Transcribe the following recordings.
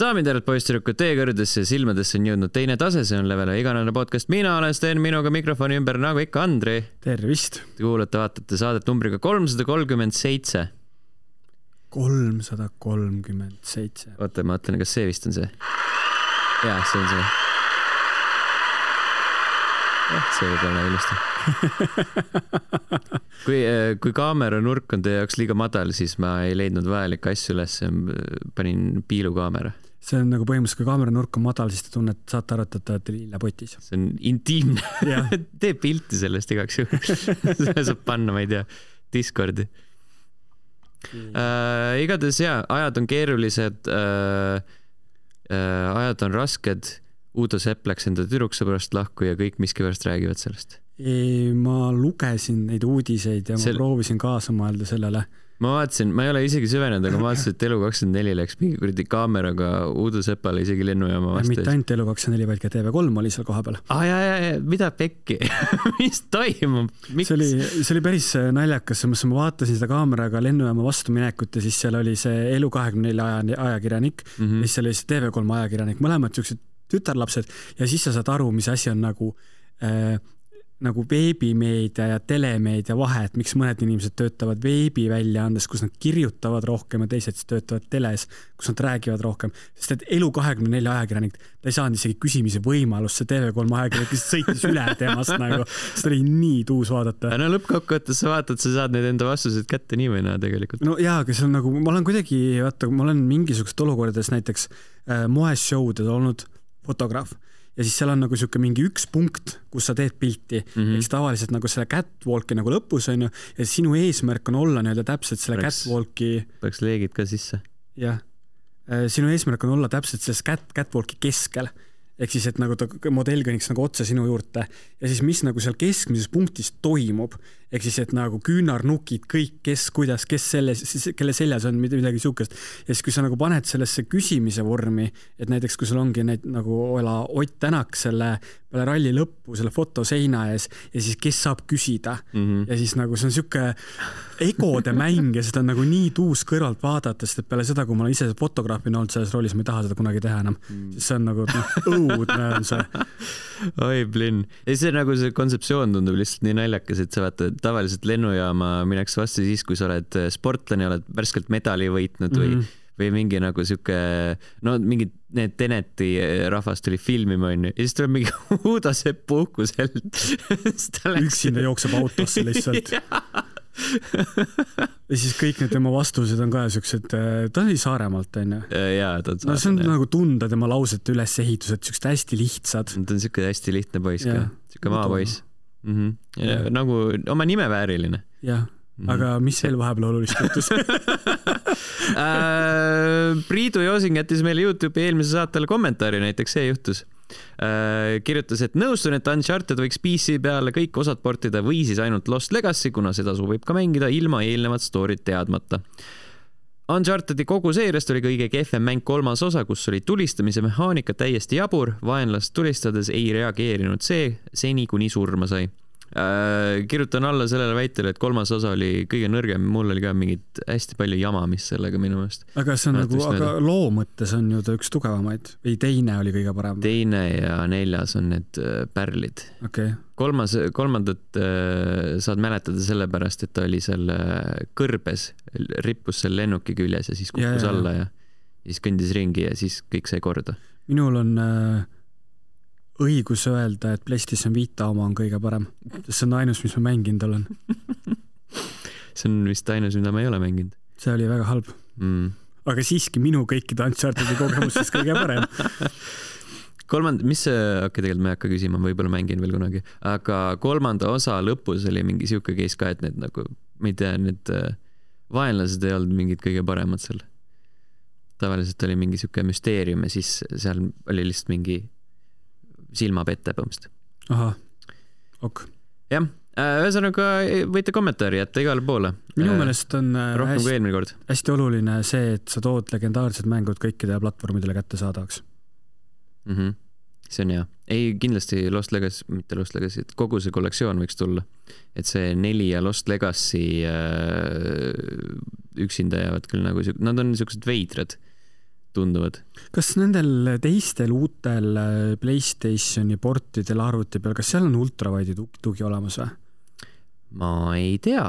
Daamid ja poistirükud, teie kõrgedesse ja silmadesse on jõudnud teine tase, see on Levele iganädalane podcast. Mina olen Sten, minuga mikrofoni ümber nagu ikka Andri. Tervist. Te kuulate, vaatate saadet numbriga 337. 337. Oota, ma mõtlen, kas see vist on see? Jaa, see on see. See võib olla ilusti. Kui kaamera nurk on teie jaoks liiga madal, siis ma ei leidnud vajalikke asju üles, panin piilukaamera. See on nagu põhimõtteliselt, kui kaamera nurk on madal, siis te tunned, saate arutada, et lilla potis. See on intiimne. Tee pilti sellest igaks juhul. Selle saab panna, ma ei tea, Discordi. Igatahes ajad on keerulised, ajad on rasked. Uudo Sepp läks enda tüdruksõbrast lahku ja kõik miskipärast räägivad sellest. Ma lugesin neid uudiseid ja ma proovisin kaasa mõelda sellele. Ma vaatasin, ma ei ole isegi süvenenud, aga ma vaatasin, et Elu24 läks mingi kuradi kaameraga Uudo Seppale isegi lennujaama vastu. Mitte ainult Elu24, vaid ka TV3 oli seal koha peal. Mida pekki? Mis toimub? See oli päris naljakas, ma vaatasin seda kaameraga lennujaama vastu minekut ja siis seal oli see Elu24 ajakirjanik ja siis seal oli see TV3 ajakirjanik, mõlemad siuksed tütarlapsed ja siis sa saad aru, mis asi on nagu veebimeedia ja telemeedia vahe, et miks mõned inimesed töötavad veebi väljaandes, kus nad kirjutavad rohkem ja teised töötavad teles, kus nad räägivad rohkem. Sest et Elu24 ajakirjanik, ta ei saanud isegi küsimise võimalust, see TV3 ajakirjanik, kes sõitis üle temast nagu, seda oli nii tuus vaadata. No lõppkokkuvõttes sa vaatad, sa saad need enda vastused kätte nii või naa tegelikult. No jaa, aga see on nagu, ma olen kuidagi, ma olen mingisugused olukordades näiteks moeshowdel olnud fotograaf ja siis seal on nagu siuke mingi üks punkt, kus sa teed pilti eks tavaliselt nagu selle catwalki nagu lõpus on ju ja sinu eesmärk on olla nii-öelda täpselt selle catwalki peaks leegid ka sisse jah, sinu eesmärk on olla täpselt selles catwalki keskel ehk siis, et nagu ta modell kõniks nagu otse sinu juurde ja siis mis nagu seal keskmises punktis toimub ehk siis, et nagu küünarnukid kõik, kes kelle seljas on midagi siukest ja siis kui sa nagu paned sellesse küsimise vormi, et näiteks kui sul ongi nagu Ott Tänak selle peale ralli lõppu selle fotoseina ees ja siis kes saab küsida ja siis nagu see on siuke egode mäng ja seda on nagu nii tuus kõrvalt vaadata, sest et peale seda, kui ma olen ise fotograafina olnud selles rollis, ma ei taha seda kunagi teha enam siis see on nagu õudne on see oi blin ja see nagu see kontseptsioon tundub lihtsalt nii naljakas, et sa vaata tavaliselt lennujaama mineks vastu siis, kui sa oled sportlane, oled värskelt medali võitnud või mingi nagu siuke no mingi need Teneti rahvas tuli filmima on ja siis tuleb mingi Uudo Sepp puhkuselt üksinda jookseb autosse lihtsalt ja siis kõik need tema vastused on ka siuksed ta oli Saaremaalt on ju no see on nagu tunda tema lausete ülesehitused siuksed hästi lihtsad ta on siuke hästi lihtne poiss ka siuke maapoiss nagu oma nime vääriline jah aga mis veel vahepeal olulist juhtus? Priidu Joosing jättis meile YouTube'i eelmise saatele kommentaari, näiteks see juhtus. Kirjutas, et nõustun, et Uncharted võiks PC peale kõik osad portida või siis ainult Lost Legacy, kuna seda sobib ka mängida ilma eelnevat storyt teadmata. Unchartedi kogu seeriast oli kõige kehvem mäng 3. osa, kus oli tulistamise mehaanika täiesti jabur, vaenlast tulistades ei reageerinud seni kuni surma sai. Kirjutan alla sellele väitele, et 3. osa oli kõige nõrgem, mul oli ka mingid hästi palju jamamist sellega minu meelest. Aga see on nagu, aga loo mõttes on ju ta üks tugevamaid või teine oli kõige parem? Teine ja 4. on need pärlid. Okay. Kolmandat saad mäletada sellepärast, et ta oli seal kõrbes, rippus seal lennuki küljes ja siis kukkus alla ja siis kõndis ringi ja siis kõik sai korda. Minul on õigus öelda, et PlayStation Vita oma on kõige parem. See on ainus, mis ma mänginud olen. See on vist ainus, mida ma ei ole mänginud. See oli väga halb. Aga siiski minu kõikide Unchartedi kogemustes kõige parem. Tegelikult ma ei hakka küsima, võib-olla mängin veel kunagi. Aga 3. osa lõpus oli mingi siuke case ka, et need nagu, ma ei tea, need vaenlased ei olnud mingid kõige paremad seal. Tavaliselt oli mingi siuke müsteerium ja siis seal oli lihtsalt mingi silmapette põhimõtteliselt. Aha, ok. Jah, ühesõnaga võite kommentaari jätta igale poole. Minu meelest on hästi oluline see, et sa tood legendaarsed mängud kõikidele platvormidele kätte saadavaks. See on hea. Ei, kindlasti Lost Legacy, mitte Lost Legacy, et kogu see kollektsioon võiks tulla. Et see 4 ja Lost Legacy üksinda jäävad küll nagu, nad on niisugused veidrad. tunduvad. Kas nendel teistel uutel PlayStationi portidel arvuti peal, kas seal on ultrawide'i tugi olemas või? Ma ei tea.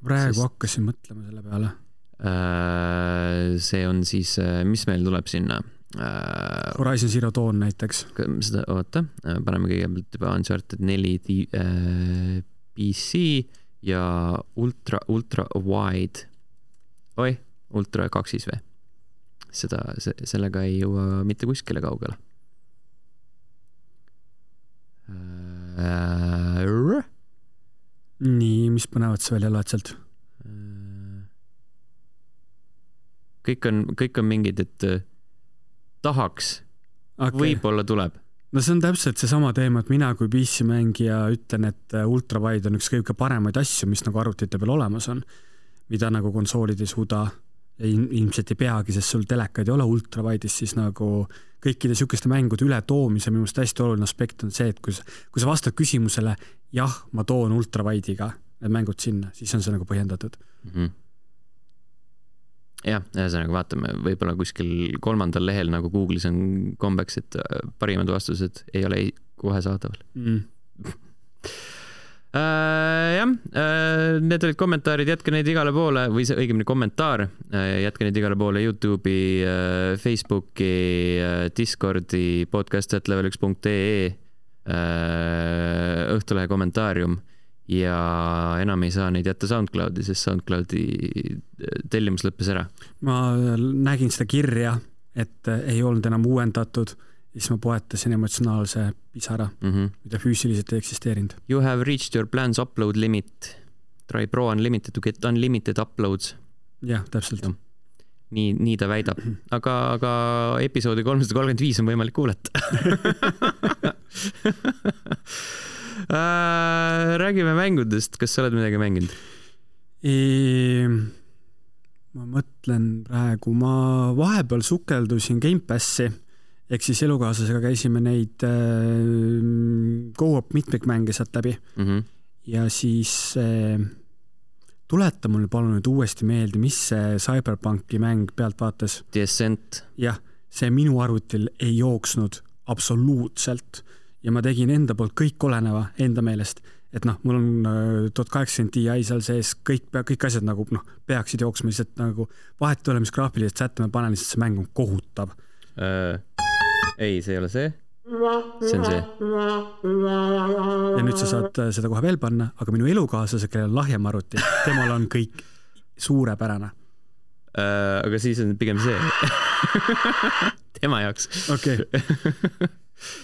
Praegu hakkasin mõtlema selle peale. See on siis, mis meil tuleb sinna? Horizon Zero Dawn näiteks. Seda, oota, paneme kõigepealt juba Uncharted 4 PC ja ultra wide. Ultra 2 või? Sellega ei jõua mitte kuskile kaugele. Nii, mis põnevad sa välja loed sealt? Kõik on mingid, et tahaks, võib-olla tuleb. No see on täpselt see sama teema, et mina kui PC-mängija ütlen, et ultrawide on üks kõige paremaid asju, mis nagu arvutite peal olemas on, mida nagu konsoolid ei suuda ja ilmselt ei peagi, sest sul telekaid ei ole ultrawide'is, siis nagu kõikide sükeste mängude üle toomise minu meelest hästi oluline aspekt on see, et kui sa vastad küsimusele, jah, ma toon ultrawide'iga need mängud sinna, siis on see nagu põhjendatud. Jah, ühesõnaga vaatame, võib-olla kuskil 3. lehel nagu Google'is on kombeks, et parimad vastused ei ole kohe saadaval. Jah, need olid kommentaarid, jätke neid igale poole või see õigemini kommentaar, jätke neid igale poole YouTube'i, Facebooki, Discordi, podcast@level1.ee, Õhtulehe kommentaarium ja enam ei saa neid jätta SoundCloudi, sest SoundCloudi tellimus lõppes ära. Ma nägin seda kirja, et ei olnud enam uuendatud, siis ma poetasin emotsionaalse pisara, mida füüsiliselt ei eksisteerinud. You have reached your plans upload limit. Try Pro Unlimited to get unlimited uploads. Jah, täpselt. Nii ta väidab. Aga episoodi 335 on võimalik kuulata. Räägime mängudest. Kas sa oled midagi mänginud? Ma mõtlen praegu, ma vahepeal sukeldusin Game Passi, ehk siis elukaaslasega käisime neid go-up mitmikmänge sealt läbi. Ja siis tuleta mulle palun nüüd uuesti meelde, mis see Cyberpunki mäng pealt vaatas. The Ascent. Jah, see minu arvutil ei jooksnud absoluutselt ja ma tegin enda poolt kõik oleneva enda meelest, et mul on 1080 Ti seal sees, kõik asjad nagu peaksid jooksma, lihtsalt nagu vahet ole, mis graafilised sätte ma panen, lihtsalt see mäng on kohutav. Ei, see ei ole see. See on see. Ja nüüd sa saad seda kohe veel panna, aga minu elukaaslase, kellel on lahjem arvuti, temal on kõik suurepärane. Aga siis on pigem see. Tema jaoks. Okei.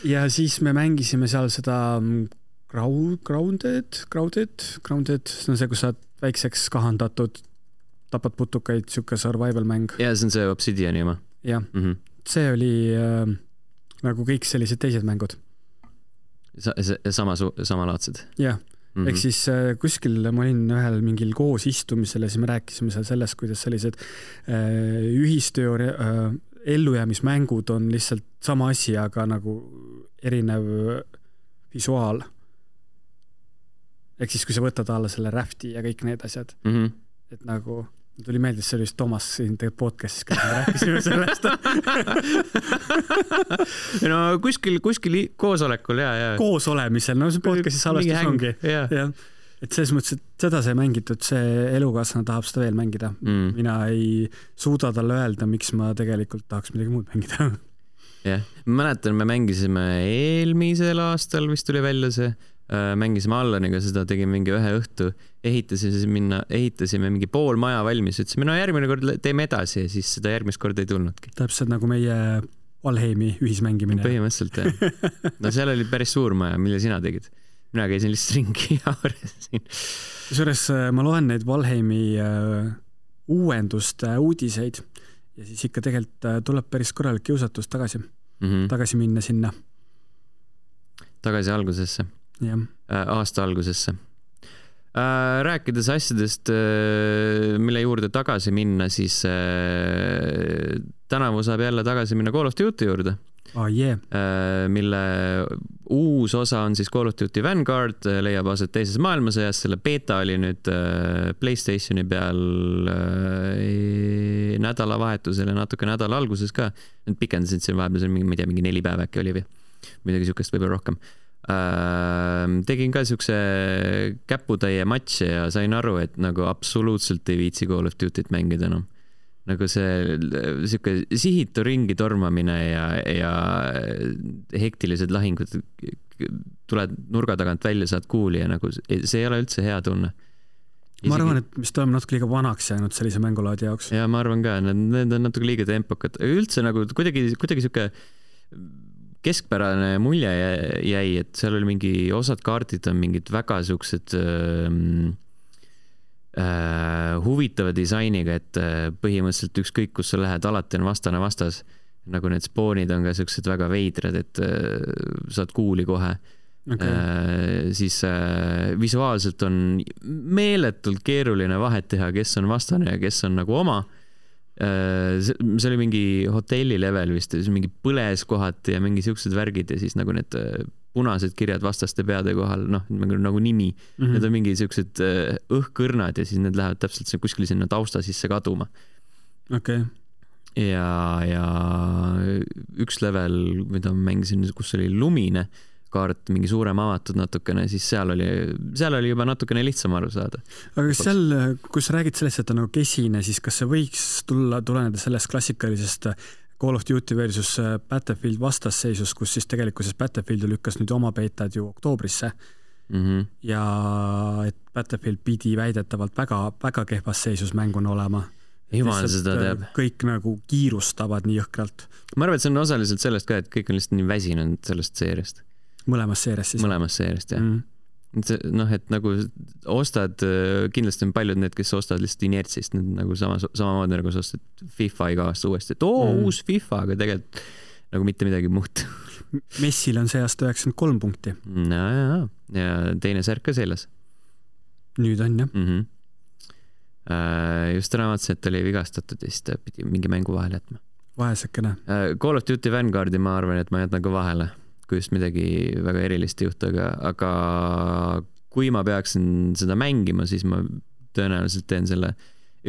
Ja siis me mängisime seal seda Grounded, see on see, kus sa väikseks kahandatud, tapad putukaid, siuke survival mäng. Ja see on see Obsidiani oma. Jah, see oli nagu kõik sellised teised mängud. Samalaadsed. Jah, ehk siis kuskil ma olin ühel mingil koos istumisel ja siis me rääkisime seal sellest, kuidas sellised ühistöö ellujäämismängud on lihtsalt sama asi, aga nagu erinev visuaal. Ehk siis, kui sa võtad alla selle Rafti ja kõik need asjad, et nagu tuli meeldis, see oli just Toomas siin podcastis, kui me rääkisime sellest. No kuskil koosolekul, ja. Koos olemisel, no see podcastis salvestus ongi. Ja. Et selles mõttes, et seda sai mängitud, see elukaaslane tahab seda veel mängida. Mina ei suuda talle öelda, miks ma tegelikult tahaks midagi muud mängida. Jah, ma mäletan, me mängisime eelmisel aastal, vist tuli välja see, mängisime Allaniga seda, tegime mingi ühe õhtu, ehitasime mingi pool maja valmis, ütlesime, no järgmine kord teeme edasi ja siis seda järgmist korda ei tulnudki. Täpselt nagu meie Valheimi ühismängimine. Põhimõtteliselt, jah. No seal oli päris suur maja, mille sina tegid. Mina käisin lihtsalt ringi ja aresin. Kusjuures ma loen neid Valheimi uuenduste uudiseid ja siis ikka tegelikult tuleb päris korralik kiusatus tagasi minna sinna. Tagasi algusesse. Ja. Aasta algusesse. Rääkides asjadest, mille juurde tagasi minna, siis tänavu saab jälle tagasi minna Call of Duty juurde. mille uus osa on siis Call of Duty Vanguard, leiab aset teises maailmasõjas, selle beeta oli nüüd PlayStationi peal nädalavahetusel ja natuke nädala alguses ka, nad pikendasid siin vahepeal, ma ei tea, mingi 4 päeva äkki oli või midagi sükest, võib-olla rohkem. Tegin ka siukse käputäie matši ja sain aru, et nagu absoluutselt ei viitsi Call of Duty't mängida enam. Nagu see siuke sihitu ringi tormamine ja hektilised lahingud, tuled nurga tagant välja, saad kuuli ja nagu see ei ole üldse hea tunne. Ma arvan, et mis oleme natuke liiga vanaks jäänud sellise mängulaadi jaoks. Ja ma arvan ka, need on natuke liiga tempokad. Üldse nagu kuidagi siuke keskpärane mulje jäi, et seal oli mingi osad kaardid on mingid väga siuksed huvitava disainiga, et põhimõtteliselt ükskõik, kus sa lähed, alati on vastane vastas. Nagu need spoonid on ka siuksed väga veidrad, et saad kuuli kohe. Okay. Siis visuaalselt on meeletult keeruline vahet teha, kes on vastane ja kes on nagu oma. See oli mingi hotelli level vist, mingi põles kohati ja mingi siuksed värgid ja siis nagu need punased kirjad vastaste peade kohal, noh, nagu nimi. Need on mingi siuksed õhkõrnad ja siis need lähevad täpselt kuskil sinna tausta sisse kaduma. Okay. Ja üks level, mida ma mängisin, kus oli lumine kaart, mingi suurem avatud natukene, siis seal oli juba natukene lihtsam aru saada. Aga kas seal, kui sa räägid sellest, et on nagu kesine, siis kas see võiks tuleneda sellest klassikalisest Call of Duty versus Battlefield vastasseisust, kus siis tegelikkuses Battlefield lükkas nüüd oma beetad ju oktoobrisse ja et Battlefield pidi väidetavalt väga kehvas seisus mänguna olema. Jumal seda teab. Kõik nagu kiirustavad nii jõhkralt. Ma arvan, et see on osaliselt sellest ka, et kõik on lihtsalt nii väsinud sellest seeriast. Mõlemas seeriast siis? Mõlemas seeriast, jah. Noh, et nagu ostad, kindlasti on paljud need, kes ostavad lihtsalt inertsist, need nagu samamoodi nagu sa ostad FIFA iga aasta uuesti, et uus FIFA, aga tegelikult nagu mitte midagi muud. Messil on see aasta 93 punkti. Ja teine särk ka selles. Nüüd on, jah. Just raamatasin, et oli vigastatud ja siis ta pidi mingi mängu vahele jätma. Vahesekene. Call of Duty Vanguardi ma arvan, et ma jätan ka vahele, kui just midagi väga erilist juhtu, aga kui ma peaksin seda mängima, siis ma tõenäoliselt teen selle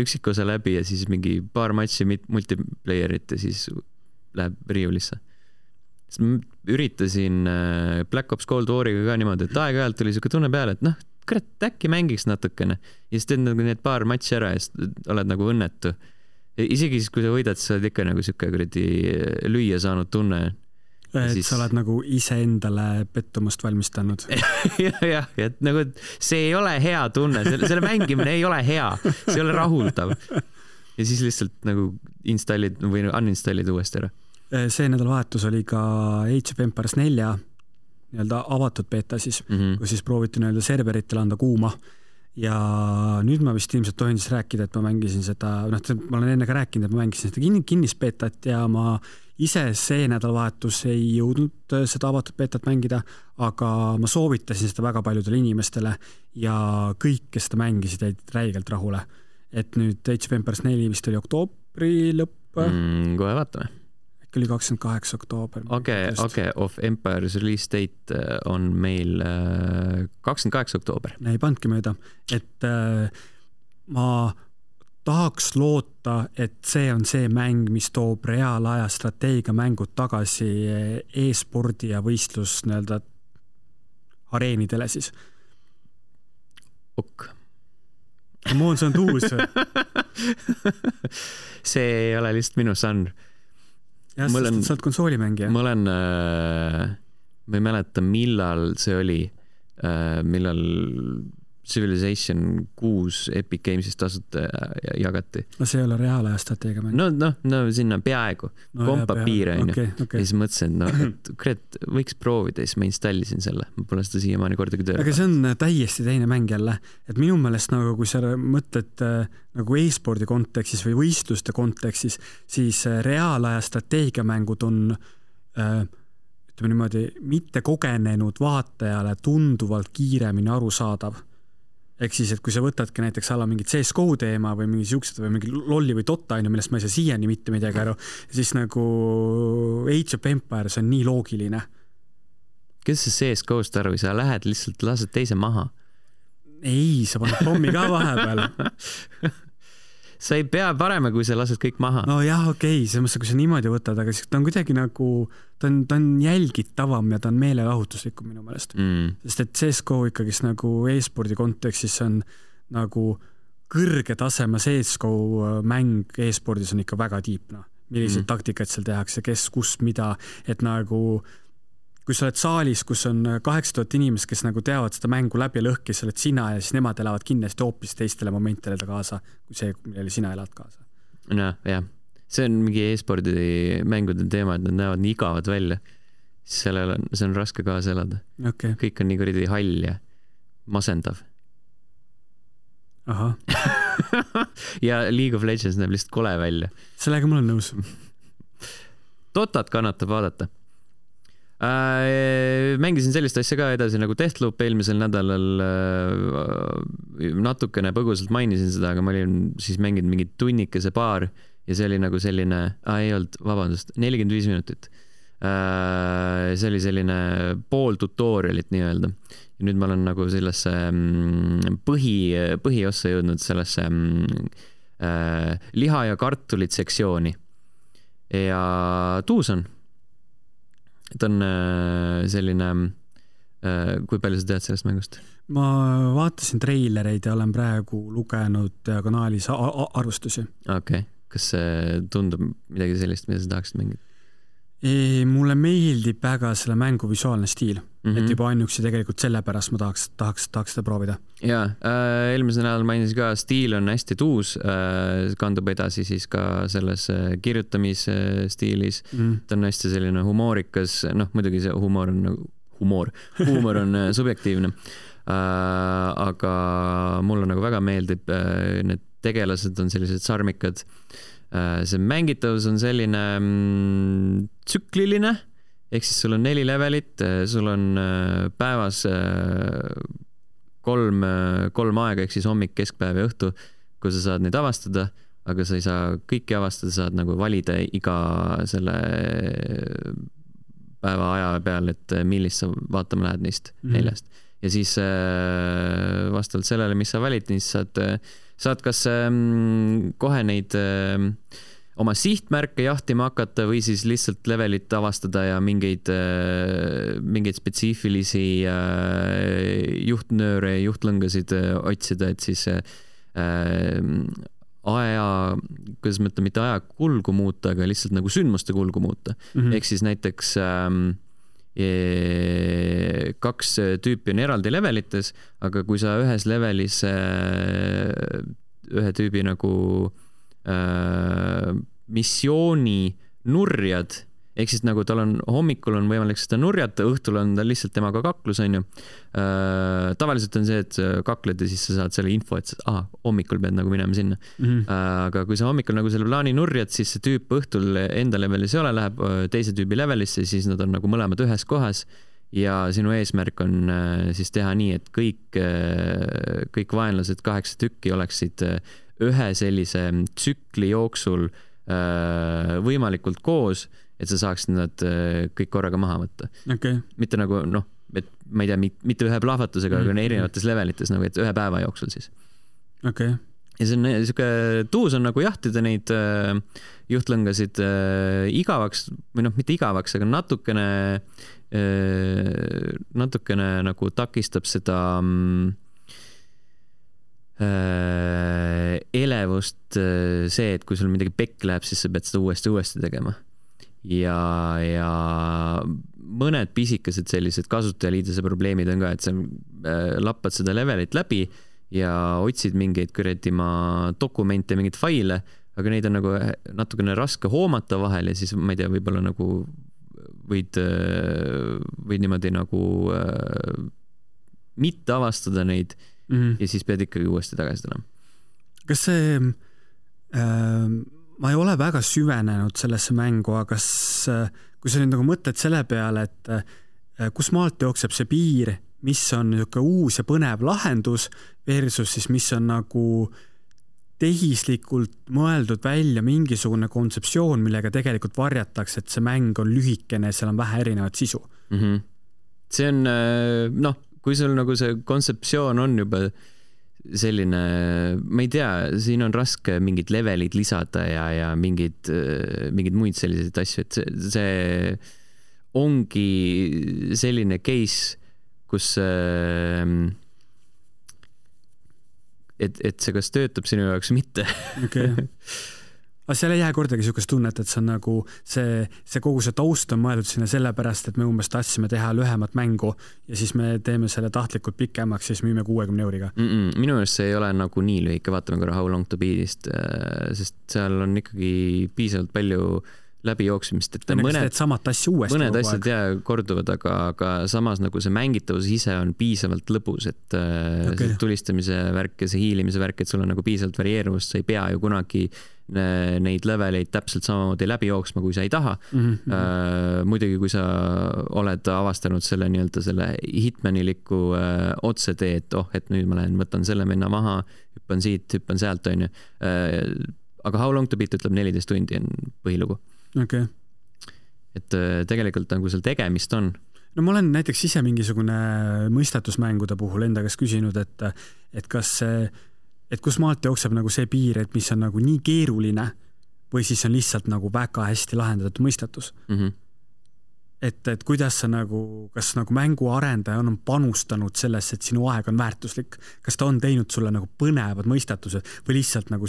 üksikosa läbi ja siis mingi paar matši multiplayerit ja siis läheb riiulisse. Ma üritasin Black Ops Cold War'iga ka niimoodi, et aeg-ajalt tuli siuke tunne peale, et noh, kurat, äkki mängiks natukene ja siis teed nagu need paar matši ära ja siis oled nagu õnnetu. Isegi siis, kui sa võidad, siis oled ikka nagu siuke kuradi lüüa saanud tunne. Et siis... sa oled nagu ise endale pettumust valmistanud. jah, et nagu see ei ole hea tunne, selle mängimine ei ole hea, see ei ole rahuldav. Ja siis lihtsalt nagu installid või uninstallid uuesti ära. See nädalavahetus oli ka Age of Empires 4 nii-öelda avatud beta siis, kus siis prooviti nii-öelda serveritele anda kuuma. Ja nüüd ma vist ilmselt tohin siis rääkida, et ma mängisin seda, ma olen enne ka rääkinud, et ma mängisin seda kinnisbeetat ja ma ise see nädalavahetus ei jõudnud seda avatud beetat mängida, aga ma soovitasin seda väga paljudele inimestele ja kõik, kes seda mängisid, jäid räigelt rahule. Et nüüd Age of Empires 4 vist oli oktoobri lõpp. Kohe vaatame. Äkki oli 28 oktoober. Okay, of Empires release date on meil 28 oktoober. Ei pandki mööda, et ma tahaks loota, et see on see mäng, mis toob reaalaja strateegia mängud tagasi e-spordi ja võistlus nii-öelda areenidele siis. Ok. Moon, see on tuus. See ei ole lihtsalt minu žanr. Jah, sest sa oled konsoolimängija. Ma ei mäleta, millal see oli, millal Civilization 6 Epic Games'ist tasuta jagati. No see ei ole reaalaja strateegia mäng. No sinna peaaegu. Kompa piire on ju. Ja siis mõtlesin, et võiks proovida, siis ma installisin selle. Ma pole seda siiamaani kordagi tööle. Aga see on täiesti teine mäng jälle. Et minu meelest, nagu, kui sa mõtled nagu e-spordi kontekstis või võistluste kontekstis, siis reaalaja strateegia mängud on ütleme niimoodi mitte kogenenud vaatajale tunduvalt kiiremini arusaadav. ehk siis, et kui sa võtadki näiteks alla mingit CSGO teema või mingi siuksed või mingi lolli või Dota, millest ma ei saa siiani mitte midagi aru, siis nagu Age of Empires on nii loogiline. Kes see CSGO-st aru, sa lähed lihtsalt, lased teise maha? Ei, sa paned pommi ka vahepeal. Sa ei pea parema, kui sa lased kõik maha. No jah, okei, selles mõttes, kui sa niimoodi võtad, aga ta on kuidagi nagu, ta on jälgitavam ja ta on meelelahutuslikum minu meelest. Sest et CSGO ikkagi nagu e-spordi kontekstis on nagu kõrge taseme CSGO mäng e-spordis on ikka väga tiipna. Millised taktikad seal tehakse, kes, kus, mida, et nagu kui sa oled saalis, kus on 8000 inimest, kes nagu teavad seda mängu läbi ja lõhki, sa oled sina ja siis nemad elavad kindlasti hoopis teistele momentidele kaasa, kui see, millele sina elad kaasa. No, jah. See on mingi e-spordi mängude teema, et nad näevad nii igavad välja. See on raske kaasa elada. Okay. Kõik on nii kuridi hall ja masendav. Aha. Ja League of Legends näeb lihtsalt kole välja. Sellega mul on nõus. Dotat kannatab vaadata. Mängisin sellist asja ka edasi nagu Deathloop eelmisel nädalal natukene põgusalt mainisin seda, aga ma olin siis mänginud mingi tunnikese paar ja see oli nagu selline, ei olnud, vabandust, 45 minutit. See oli selline pool tutorialit nii-öelda. Ja nüüd ma olen nagu sellesse põhiossa jõudnud sellesse liha ja kartulit sektsiooni. Ja tuus on. Ta on selline, kui palju sa tead sellest mängust? Ma vaatasin treilereid ja olen praegu lugenud diagonaalis arvustusi. Okei. Kas see tundub midagi sellist, mida sa tahaksid mängida? Mulle meeldib väga selle mängu visuaalne stiil, et juba ainuüksi tegelikult selle pärast ma tahaks seda proovida. Jaa, eelmisel nädal mainisin ka, stiil on hästi tuus, kandub edasi siis ka selles kirjutamisstiilis. Ta on hästi selline humoorikas, muidugi see huumor on subjektiivne, aga mulle nagu väga meeldib, need tegelased on sellised sarmikad. See mängitavus on selline tsükliline, ehk siis sul on 4 levelit, sul on päevas 3 aega, ehk siis hommik, keskpäev ja õhtu, kui sa saad neid avastada, aga sa ei saa kõiki avastada, saad nagu valida iga selle päeva aja peal, et millist sa vaatama lähed neist 4. Ja siis vastavalt sellele, mis sa valid, siis saad kas kohe neid oma sihtmärke jahtima hakata või siis lihtsalt levelit avastada ja mingeid spetsiifilisi juhtnööre ja juhtlõngasid otsida, et siis kuidas mõtleme, mitte aja kulgu muuta, aga lihtsalt nagu sündmuste kulgu muuta. Ehk siis näiteks 2 tüüpi on eraldi levelites, aga kui sa ühes levelis ühe tüübi nagu missiooni nurjad, ehk siis nagu tal on hommikul on võimalik seda nurjata, õhtul on ta lihtsalt temaga kaklus, on ju. Tavaliselt on see, et kakled ja siis sa saad selle info, et hommikul pead nagu minema sinna. Aga kui sa hommikul nagu selle plaani nurjad, siis see tüüp õhtul enda levelis ei ole, läheb teise tüübi levelisse, siis nad on nagu mõlemad ühes kohas ja sinu eesmärk on siis teha nii, et kõik vaenlased 8 tükki oleksid ühe sellise tsükli jooksul võimalikult koos, et sa saaksid nad kõik korraga maha võtta. Okay. Mitte nagu, et ma ei tea, mitte ühe plahvatusega, aga erinevates levelites, nagu, et ühe päeva jooksul siis. Okay. Ja see on niisugune, tuus on nagu jahtida neid juhtlõngasid igavaks, või mitte igavaks, aga natukene nagu takistab seda elevust see, et kui sul midagi pekk läheb, siis sa pead seda uuesti tegema. Ja mõned pisikesed sellised kasutajaliidese probleemid on ka, et sa lappad seda levelit läbi ja otsid mingeid kõretima dokumente, mingeid faile, aga neid on nagu natukene raske hoomata vahel ja siis ma ei tea, võib-olla nagu võid niimoodi nagu mitte avastada neid ja siis pead ikkagi uuesti tagasi tulema. Kas see ma ei ole väga süvenenud sellesse mängu, aga kui sa nüüd nagu mõtled selle peale, et kus maalt jookseb see piir, mis on niisugune uus ja põnev lahendus versus siis mis on nagu tehislikult mõeldud välja mingisugune kontseptsioon, millega tegelikult varjatakse, et see mäng on lühikene ja seal on vähe erinevat sisu. See on, kui sul nagu see kontseptsioon on juba selline, ma ei tea, siin on raske mingid levelid lisada ja mingid muid selliseid asju, et see ongi selline case, kus et see kas töötab sinu jaoks mitte. Okay. Aga seal ei jää kordagi niisugust tunnet, et see on nagu see kogu see taust on mõeldud sinna sellepärast, et me umbes tahtsime teha lühemat mängu ja siis me teeme selle tahtlikult pikemaks, siis müüme 60 €. Minu meelest see ei ole nagu nii lühike, vaatame korra How Long to Beat'ist, sest seal on ikkagi piisavalt palju läbijooksmist, et mõned asjad korduvad, aga samas nagu see mängitavus ise on piisavalt lõbus, et see tulistamise värk ja see hiilimise värk, et sul on nagu piisavalt varieeruvust, sa ei pea ju kunagi neid leveleid täpselt samamoodi läbi jooksma, kui sa ei taha. Muidugi, kui sa oled avastanud selle nii-öelda selle hitmaniliku otsetee, et nüüd ma lähen, võtan selle minna maha, hüppan siit, hüppan sealt, on ju. Aga How Long to Beat ütleb 14 tundi on põhilugu. Okay. Et tegelikult nagu seal tegemist on. No ma olen näiteks ise mingisugune mõistatusmängude puhul enda käest küsinud, et kas kus maalt jookseb nagu see piir, et mis on nagu nii keeruline või siis on lihtsalt nagu väga hästi lahendatud mõistatus. Et kuidas sa nagu, kas nagu mänguarendaja on panustanud sellesse, et sinu aeg on väärtuslik, kas ta on teinud sulle nagu põnevad mõistatused või lihtsalt nagu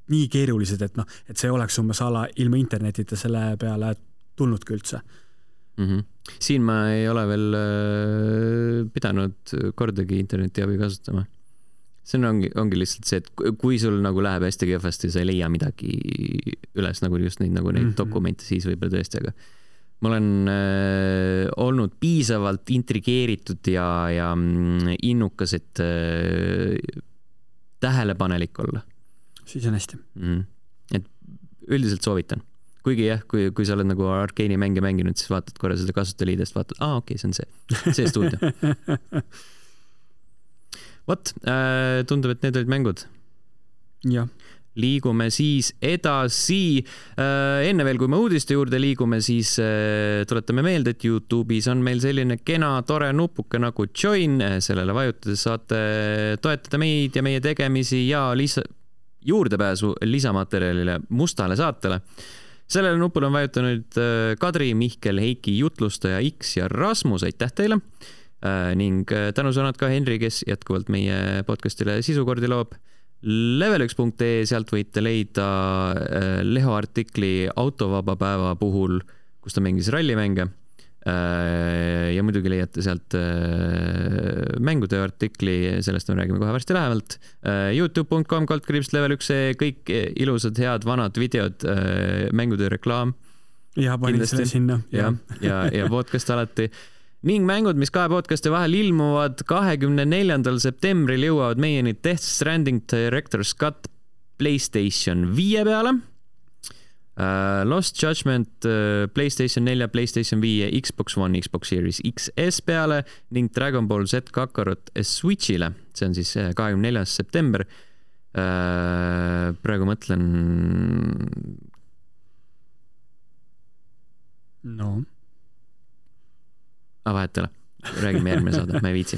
nii keerulised, et see oleks umbes ala ilma internetita selle peale tulnudki üldse. Siin ma ei ole veel pidanud kordagi interneti abi kasutama. See ongi lihtsalt see, et kui sul nagu läheb hästi kehvasti, sa ei leia midagi üles, nagu just neid dokumente, siis võib-olla tõesti, aga ma olen olnud piisavalt intrigeeritud ja innukas, et tähelepanelik olla. Siis on hästi. Et üldiselt soovitan. Kuigi jah, kui sa oled nagu Arcane'i mänge mänginud, siis vaatad korra seda kasutajaliidest, vaatad, okei, see on see stuudio. Vot, tundub, et need olid mängud. Jah. Liigume siis edasi. Enne veel, kui me uudiste juurde liigume, siis tuletame meelde, et YouTube'is on meil selline kena, tore nupuke nagu Join. Sellele vajutades saate toetada meid ja meie tegemisi ja juurdepääsu lisamaterjalile Mustale saatele. Sellele nupule on vajutanud Kadri, Mihkel, Heiki, Jutlustaja, X ja Rasmus, aitäh teile! Ning tänusõnad ka Henri, kes jätkuvalt meie podcastile sisukordi loob. Level1.ee, sealt võite leida Leho artikli autovaba päeva puhul, kus ta mängis rallimänge. Ja muidugi leiate sealt mängude artikli, sellest me räägime kohe varsti lähemalt. youtube.com/level1, kõik ilusad, head, vanad videod, mängude reklaam. Ja panin selle sinna. Ja podcast alati. Ning mängud, mis kahe podcasti vahel ilmuvad 24. septembril jõuavad meieni Death Stranding Director's Cut PlayStation 5 peale, Lost Judgment PlayStation 4, PlayStation 5, Xbox One, Xbox Series XS peale ning Dragon Ball Z Kakarot Switchile. See on siis 24. september. Praegu mõtlen... No... vahetele. Räägime järgmine saada, ma ei viitsi.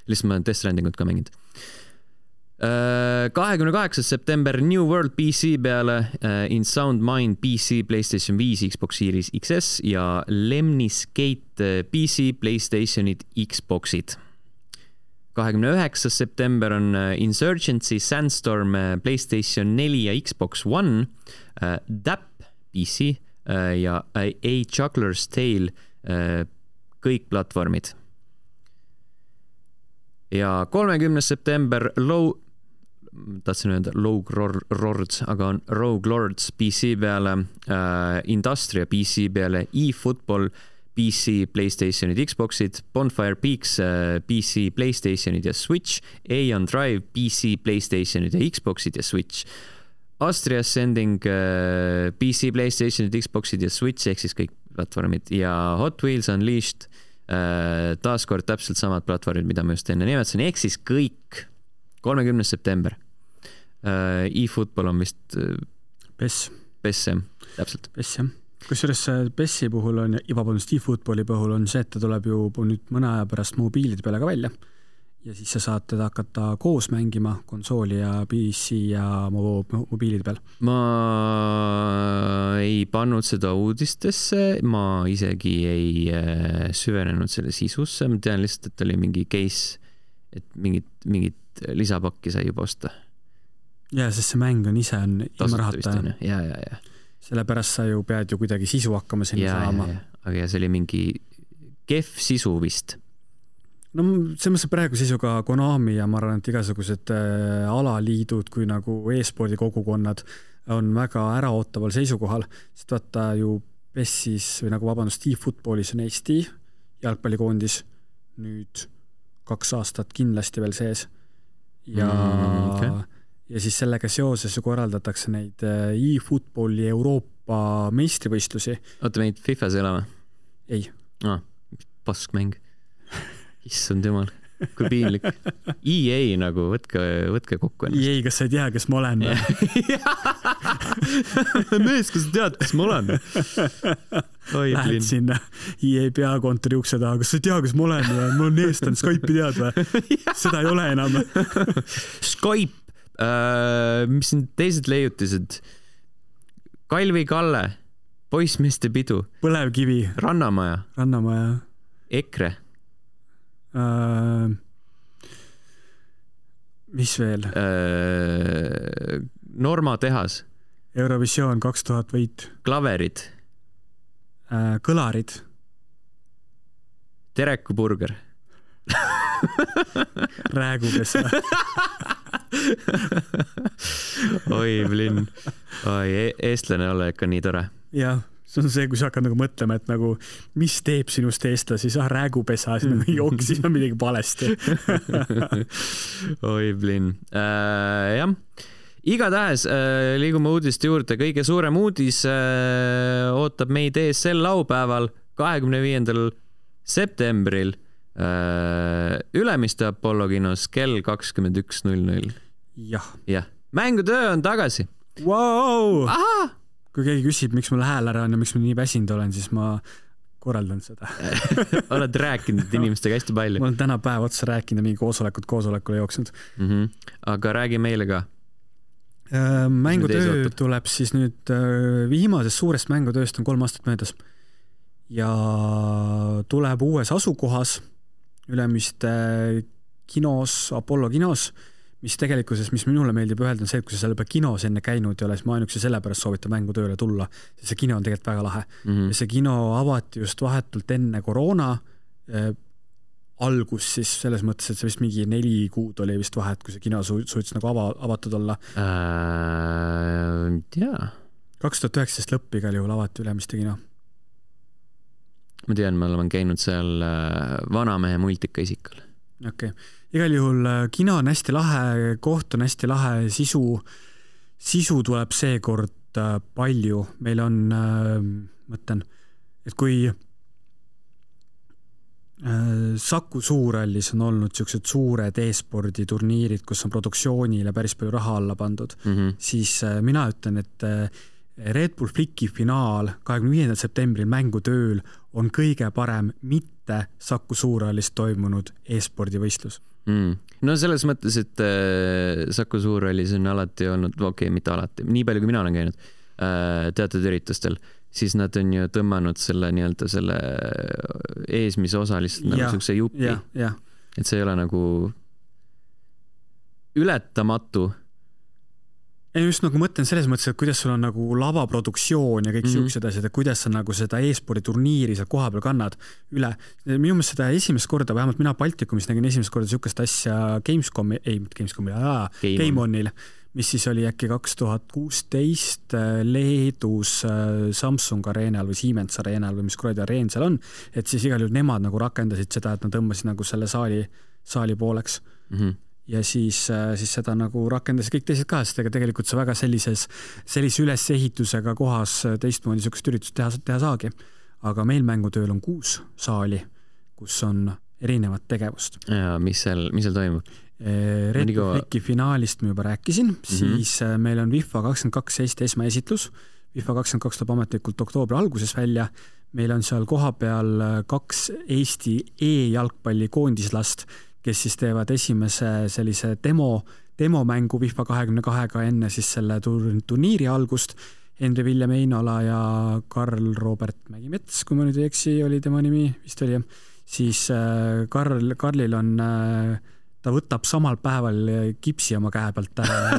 Lihtsalt ma Death Strandingut ka mänginud. 28. september New World PC peale, In Sound Mind PC, PlayStation 5, Xbox Series XS ja Lemniscate PC, PlayStationid, Xboxid. 29. september on Insurgency, Sandstorm, PlayStation 4 ja Xbox One, DAP PC ja A Juggler's Tale, kõik platvormid. Ja 30. september tahtsin öelda Rogue Lords, aga on Rogue Lords PC peale, Industria PC peale, eFootball PC, PlayStationid, Xboxid, Bonfire Peaks PC, PlayStationid ja Switch, Aeon Drive PC, PlayStationid ja Xboxid ja Switch, Astria Ascending PC, PlayStationid, Xboxid ja Switch ehk siis kõik platvormid ja Hot Wheels Unleashed taaskord täpselt samad platvormid, mida ma just enne nimetasin, ehk siis kõik 30. september. eFootball on vist PES, täpselt. PES, jah. Kusjuures PES-i puhul on, eFootballi puhul on see, et ta tuleb ju nüüd mõne aja pärast mobiilide peale ka välja. Ja siis sa saad teda hakata koos mängima konsooli ja PC ja mobiilide peal. Ma ei pannud seda uudistesse, ma isegi ei süvenenud selle sisusse, ma tean lihtsalt, et oli mingi case, et mingit lisapakki sai juba osta. Ja, sest see mäng on ise on ilma rahata. Ja. Sellepärast sa ju pead ju kuidagi sisu hakkama sinna saama. Aga see oli mingi kehv sisu vist. No see mõttes praegu seisuga Konami ja ma arvan, et igasugused alaliidud kui nagu e-spordi kogukonnad on väga äraootaval seisukohal, sest vaata ju PES-is või nagu eFootballis on Eesti jalgpallikoondis nüüd 2 aastat kindlasti veel sees ja ja siis sellega seoses ju korraldatakse neid eFootballi Euroopa meistrivõistlusi. Oota, meid FIFAs ei ole või? Ei. Pask mäng. Issand jumal, kui piinlik. EA nagu, võtke kokku ennast. EA, kas sa ei tea, kes ma olen? Mees, kas sa tead, kes ma olen? Lähed sinna EA peakontori ukse taha, kas sa ei tea, kes ma olen? Mul on eestlane, Skype'i tead või? Seda ei ole enam. Skype, mis on teised leiutised? Kalvi Kalle, poissmeeste pidu. Põlevkivi. Rannamaja. EKRE. Mis veel? Norma tehas. Eurovisioon 2000 võit. Klaverid. Kõlarid. Tereku burger. Räägupesa. Oi, blin. Oi, eestlane olla ikka nii tore. Jah. See on see, kui sa hakkad nagu mõtlema, et nagu, mis teeb sinust eestlasi, sa räägupesa, siis nagu jooksis on midagi palesti. Oi, blin. Jah. Igatahes liigume uudiste juurde. Kõige suurem uudis ootab meid ees sel laupäeval 25. septembril Ülemiste Apollo kinos kell 21.00. Jah. Mängutöö on tagasi. Wow! Aha! Kui keegi küsib, miks mul hääl ära on ja miks ma nii väsinud olen, siis ma korraldan seda. Oled rääkinud inimestega hästi palju. Ma olen täna päev otsa rääkinud ja mingi koosolekule jooksnud. Aga räägi meile ka. Mängutöö tuleb siis nüüd viimasest suurest mängutööst on 3 aastat möödas. Ja tuleb uues asukohas Ülemiste kinos, Apollo kinos, mis tegelikkuses, mis minule meeldib öelda, on see, et kui sa seal juba kinos enne käinud ei ole, siis ma ainukese sellepärast soovitan mängutööle tulla. See kino on tegelikult väga lahe. Ja see kino avati just vahetult enne koroona algus siis selles mõttes, et see vist mingi 4 kuud oli vist vahet, kui see kino suutis nagu avatud olla. 2019 lõpp igal juhul avati Ülemiste kino. Ma tean, ma olen käinud seal vanamehe multika isikal. Okei. Igal juhul kino on hästi lahe, koht on hästi lahe, sisu tuleb seekord palju. Meil on, mõtlen, et kui Saku Suurhallis on olnud sellised suured e-spordi turniirid, kus on produktsioonile päris palju raha alla pandud, siis mina ütlen, et Red Bull Flicki finaal 25. septembril mängutööl on kõige parem mitte Saku Suurhallis toimunud e-spordi võistlus. No selles mõttes, et Saku Suurhallis on alati olnud, mitte alati, nii palju kui mina olen käinud teatud üritustel, siis nad on ju tõmmanud selle nii-öelda selle eesmise osa lihtsalt nagu sellise jupi. Et see ei ole nagu ületamatu. Ei just nagu mõtlen selles mõttes, et kuidas sul on nagu lavaproduktsioon ja kõik siuksed asjad, et kuidas sa nagu seda e-spordi turniiri seal koha peal kannad üle. Minu meelest seda esimest korda, vähemalt mina Baltikumis nägin esimest korda siukest asja Game-Onil, mis siis oli äkki 2016 Leedus Samsung Arenal või Siemens Arenal või mis kuradi areen seal on, et siis igal juhul nemad nagu rakendasid seda, et nad tõmbasid nagu selle saali pooleks. Ja siis seda nagu rakendasid kõik teised ka, sest tegelikult see väga sellise ülesehitusega kohas teistmoodi sükest üritust teha saagi. Aga meil mängutööl on 6 saali, kus on erinevat tegevust. Ja mis seal toimub? Red Bull finaalist ma juba rääkisin, siis meil on FIFA 22 Eesti esmaesitlus. FIFA 22 tuleb ametlikult oktoobri alguses välja. Meil on seal kohapeal 2 Eesti e-jalgpalli koondislast, kes siis teevad esimese sellise demomängu FIFA 22-ga enne siis selle turniiri algust. Henri Viljem Einola ja Karl Robert Mägimets, kui ma nüüd ei eksi, oli tema nimi, vist oli. Siis Karlil on... ta võtab samal päeval kipsi oma käe pealt ära ja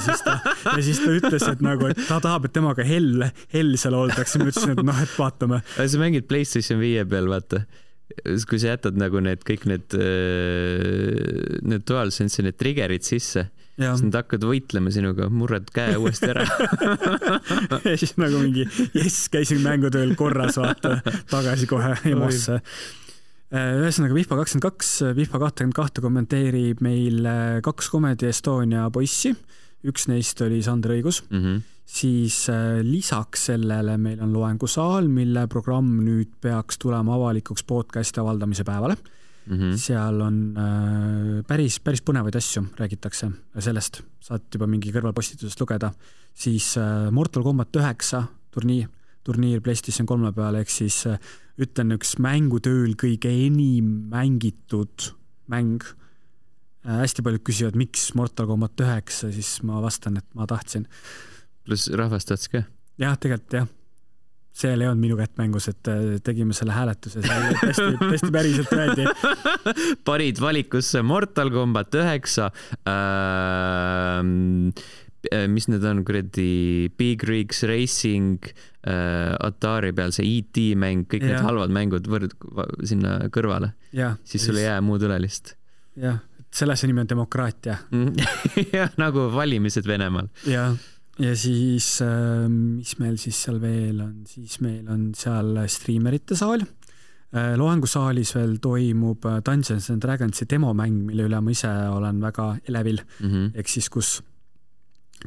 siis ta ütles, et nagu, et ta tahab, et temaga hell seal oldakse. Ma ütlesin, et et vaatame. Sa mängid PlayStation 5 peal, vaata. Kui sa jätad nagu kõik need DualSense, need triggerid sisse, siis nad hakkad võitlema sinuga, murrad käe uuesti ära. Ja siis nagu mingi, käisin mängutööl korras, vaata, tagasi kohe emosse. Ühesõnaga FIFA 22, FIFA 22 kommenteerib meil 2 Comedy Estonia poissi. Üks neist oli Sander Õigus. Siis lisaks sellele meil on loengusaal, mille programm nüüd peaks tulema avalikuks podcasti avaldamise päevale. Seal on päris põnevaid asju räägitakse sellest. Saad juba mingi kõrvalpostitusest lugeda. Siis Mortal Kombat 9 turniir PlayStation 3 peale, ehk siis ütlen üks mängutööl kõige enim mängitud mäng. Hästi paljud küsivad, miks Mortal Kombat 9, siis ma vastan, et ma tahtsin. Plus rahvast tahtis ka? Jah, tegelikult jah. See ei olnud minu kätt mängus, et tegime selle hääletuse. Hästi päriselt räädi. Parid valikusse Mortal Kombat 9, mis need on, kuradi Big Rigs Racing, Atari peal see E.T. mäng, kõik need halvad mängud sinna kõrvale. Siis sul ei jää muud üle lihtsalt. Jah, selle nimi on demokraatia. Jah, nagu valimised Venemaal. Ja siis, mis meil siis seal veel on? Siis meil on seal streamerite saal. Loengusaalis veel toimub Dungeons & Dragonsi demomäng, mille üle ma ise olen väga elevil. Ehk siis, kus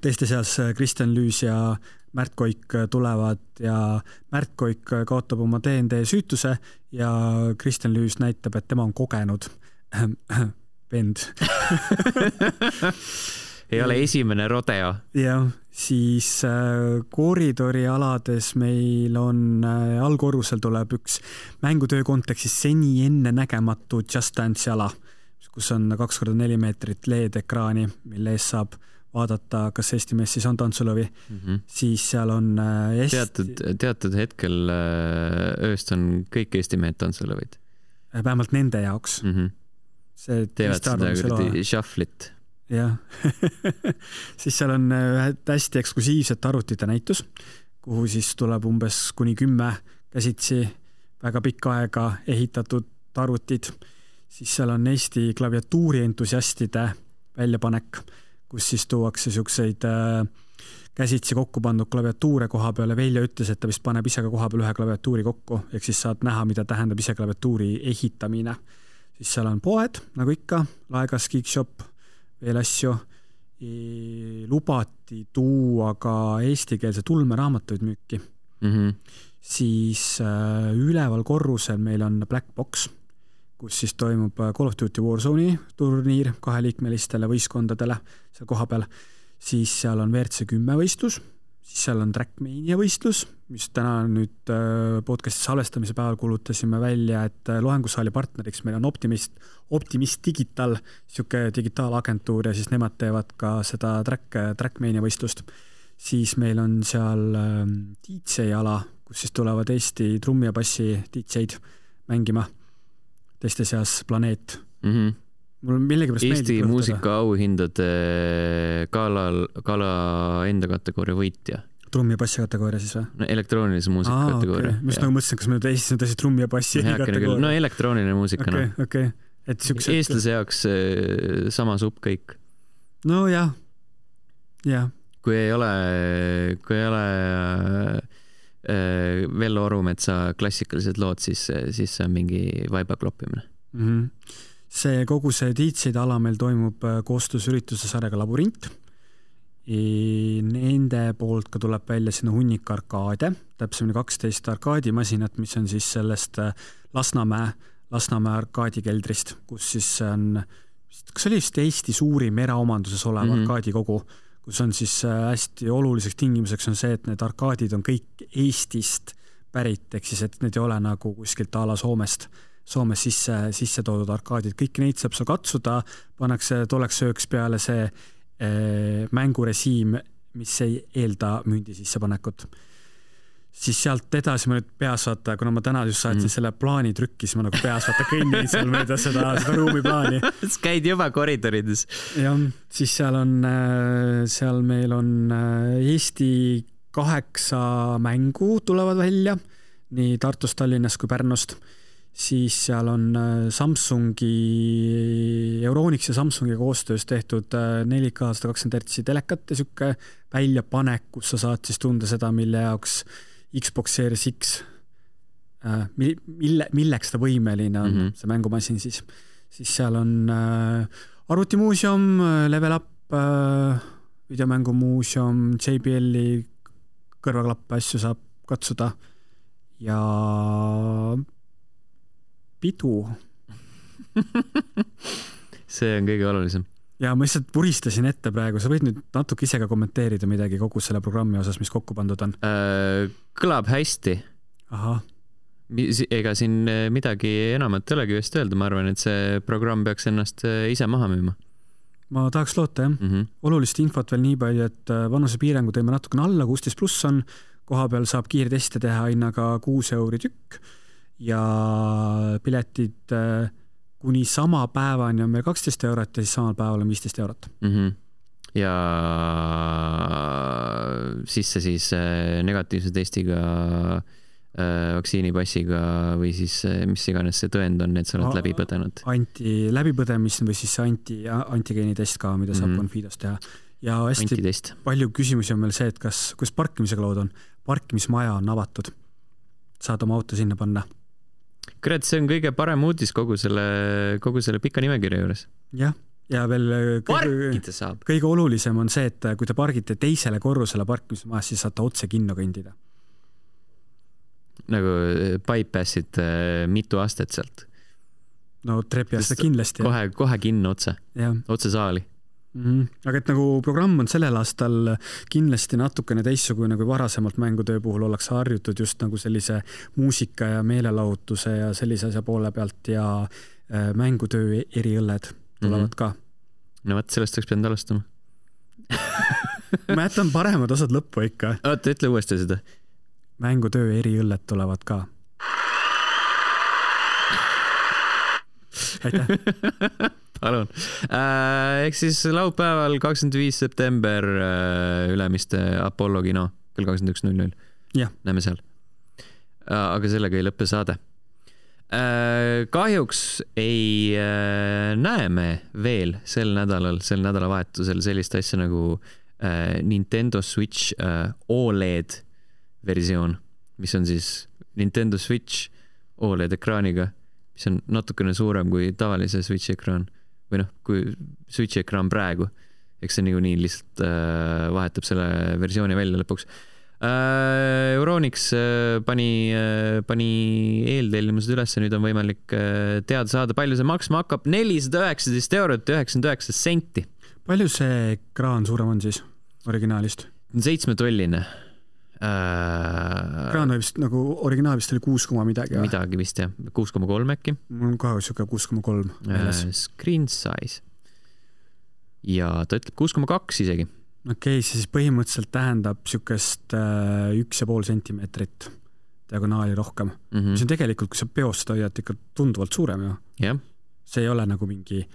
teiste seas Kristjan Lüüs ja Märt Koik tulevad ja Märt Koik kaotab oma D&D süütuse ja Kristjan Lüüs näitab, et tema on kogenud vend. Ei ole esimene rodeo. Ja siis koridori alades meil on allkorrusel tuleb üks mängutöö kontekstis seni enne nägematu Just Dance ala, kus on 2x4 meetrit LED-ekraani, mille ees saab vaadata, kas Eesti mees siis on tantsulõvi. Siis seal on teatud hetkel ööst on kõik Eesti mehed tantsulõvid. Vähemalt nende jaoks. Teevad seda shufflit. Jah. Siis seal on hästi eksklusiivset arvutite näitus, kuhu siis tuleb umbes kuni 10 käsitsi väga pikka aega ehitatud arvutid. Siis seal on Eesti klaviatuuri entusiastide väljapanek, kus siis tuuakse siukseid käsitsi kokku pandud klaviatuure koha peale. Velja ütles, et ta vist paneb ise ka koha peal ühe klaviatuuri kokku, ehk siis saad näha, mida tähendab ise klaviatuuri ehitamine. Siis seal on poed, nagu ikka, Laegas, Geekshop, veel asju. Lubati tuua ka eestikeelse tulmeraamatuid müüki. Siis üleval korrusel meil on Black Box, kus siis toimub Call of Duty Warzone'i turniir 2-liikmelistele võistkondadele seal koha peal. Siis seal on WRC 10 võistlus, siis seal on Trackmania võistlus, mis täna nüüd podcasti salvestamise päeval kuulutasime välja, et loengusaali partneriks meil on Optimist Digital, siuke digitaalagentuur, ja siis nemad teevad ka seda Trackmania võistlust. Siis meil on seal DJ ala, kus siis tulevad Eesti trummi ja bassi DJ-d mängima. Teiste seas Planeet. Mul millegipärast Eesti muusika auhindade gala enda kategooria võitja. Trummi ja bassi kategooria siis või? No, elektroonilise muusika kategooria. Okay. Mis nagu mõtlesin, kas me nüüd Eestis on tõsi trummi ja bassi kategooria? No elektrooniline muusika. Okay. Eestlase jaoks sama supp kõik. No jah. Kui ei ole Vello Orumetsa klassikalised lood, siis see on mingi vaiba kloppimine. Kogu see DJ-de ala meil toimub koostöösürituse sarjaga Labürint. Nende poolt ka tuleb välja sinna hunnik arkaade, täpsemini 12 arkaadimasinat, mis on siis sellest Lasnamäe arkaadikeldrist, kus siis on, kas oli vist Eesti suurim eraomanduses olev arkaadikogu, kus on siis hästi oluliseks tingimuseks on see, et need arkaadid on kõik Eestist pärit, ehk siis, et need ei ole nagu kuskilt a la Soomes sisse toodud arkaadid. Kõik neid saab seal katsuda, pannakse tolleks sööks peale see mängurežiim, mis ei eelda mündi sissepanekut. Siis sealt edasi ma nüüd peas vaata, kuna ma täna just saatsin selle plaani trükki, siis ma nagu peas vaata kõnnin seal mööda seda ruumiplaani. Käid juba koridorides. Ja siis seal meil on Eesti 8 mängu tulevad välja, nii Tartust, Tallinnast kui Pärnust. Siis seal on Euronix ja Samsungi koostöös tehtud 4K 120 Hz telekat ja siuke väljapanek, kus sa saad siis tunda seda, mille jaoks Xbox Series X, milleks ta võimeline on, see mängumasin siis. Siis seal on arvutimuuseum, Level Up, videomängumuuseum, JBL-i kõrvaklappe asju saab katsuda ja pidu. See on kõige olulisem. Ja ma lihtsalt puristasin ette praegu, sa võid nüüd natuke ise ka kommenteerida midagi kogu selle programmi osas, mis kokku pandud on. Kõlab hästi. Aha. Ega siin midagi enamat ei olegi vist öelda, ma arvan, et see programm peaks ennast ise maha müüma. Ma tahaks loota, jah. Olulist infot veel nii palju, et vanusepiirangu teeme natukene alla, 16+ on, koha peal saab kiirteste teha hinnaga 6 € tükk ja piletid kuni sama päevani on meil 12 € ja siis samal päeval on 15 €. Ja sisse siis negatiivse testiga, vaktsiinipassiga või siis mis iganes see tõend on, et sa oled läbi põdenud. Läbipõdemist või siis antigeenitest ka, mida saab Confidos teha. Ja hästi antitest. Palju küsimusi on meil see, et kus parkimisega lood on. Parkimismaja on avatud. Saad oma auto sinna panna. Kurat, see on kõige parem uudis kogu selle pika nimekirja juures. Jah, ja veel kõige olulisem on see, et kui te pargite teisele korrusele parkimismajas, siis saate otse kinno kõndida. Nagu bypassid mitu astet sealt. No trepi aasta kindlasti. Kohe kinno otse saali. Aga et nagu programm on sellel aastal kindlasti natukene teissugune kui varasemalt mängutöö puhul ollakse harjutud just nagu sellise muusika ja meelelahutuse ja sellise asja poole pealt ja mängutöö eriõlled tulevad ka. No võt, sellest oleks pidanud alustama. Ma jätan paremad osad lõppu ikka. Oota, ütle uuesti seda. Mängutöö eriõlled tulevad ka. Aitäh. Palun. Ehk siis laupäeval 25. september Ülemiste Apollo kino kell 21.00. Näeme seal. Aga sellega ei lõppe saade. Kahjuks ei näe me veel sel nädalavahetusel sellist asja nagu Nintendo Switch OLED versioon, mis on siis Nintendo Switch OLED ekraaniga, mis on natukene suurem kui tavalise Switchi ekraan. Või kui Switchi ekraan praegu, eks see nii lihtsalt vahetab selle versiooni välja lõpuks. Euronix pani eeltellimused üles ja nüüd on võimalik teada saada, palju see maksma hakkab. 419,99 €. Palju see ekraan suurem on siis originaalist? 7-tolline. Ekraan oli vist nagu originaal vist oli 6, midagi. Midagi vist jah, 6,3 äkki. Mul on ka siuke 6,3 meeles. Screen size. Ja ta ütleb 6,2 isegi. Okei, siis põhimõtteliselt tähendab siukest 1,5 sentimeetrit diagonaali rohkem. Mis on tegelikult, kui sa peost hoiad ikka tunduvalt suurem ju. Jah. See ei ole nagu mingi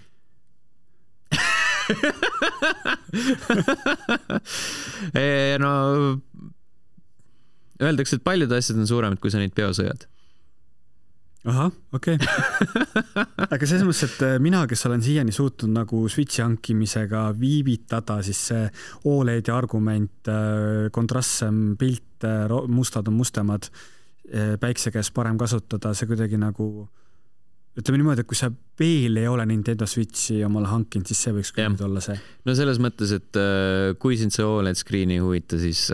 no öeldakse, et paljud asjad on suuremad, kui sa neid peos hoiad. Aha, okei. Aga selles mõttes, et mina, kes olen siiani suutnud nagu Switchi hankimisega viivitada, siis see OLED argument, kontrastsem pilt, mustad on mustemad, päikse käes parem kasutada, see kuidagi nagu ütleme niimoodi, et kui sa veel ei ole Nintendo Switchi omale hankinud, siis see võiks küll olla see. No selles mõttes, et kui sind see OLED screeni ei huvita, siis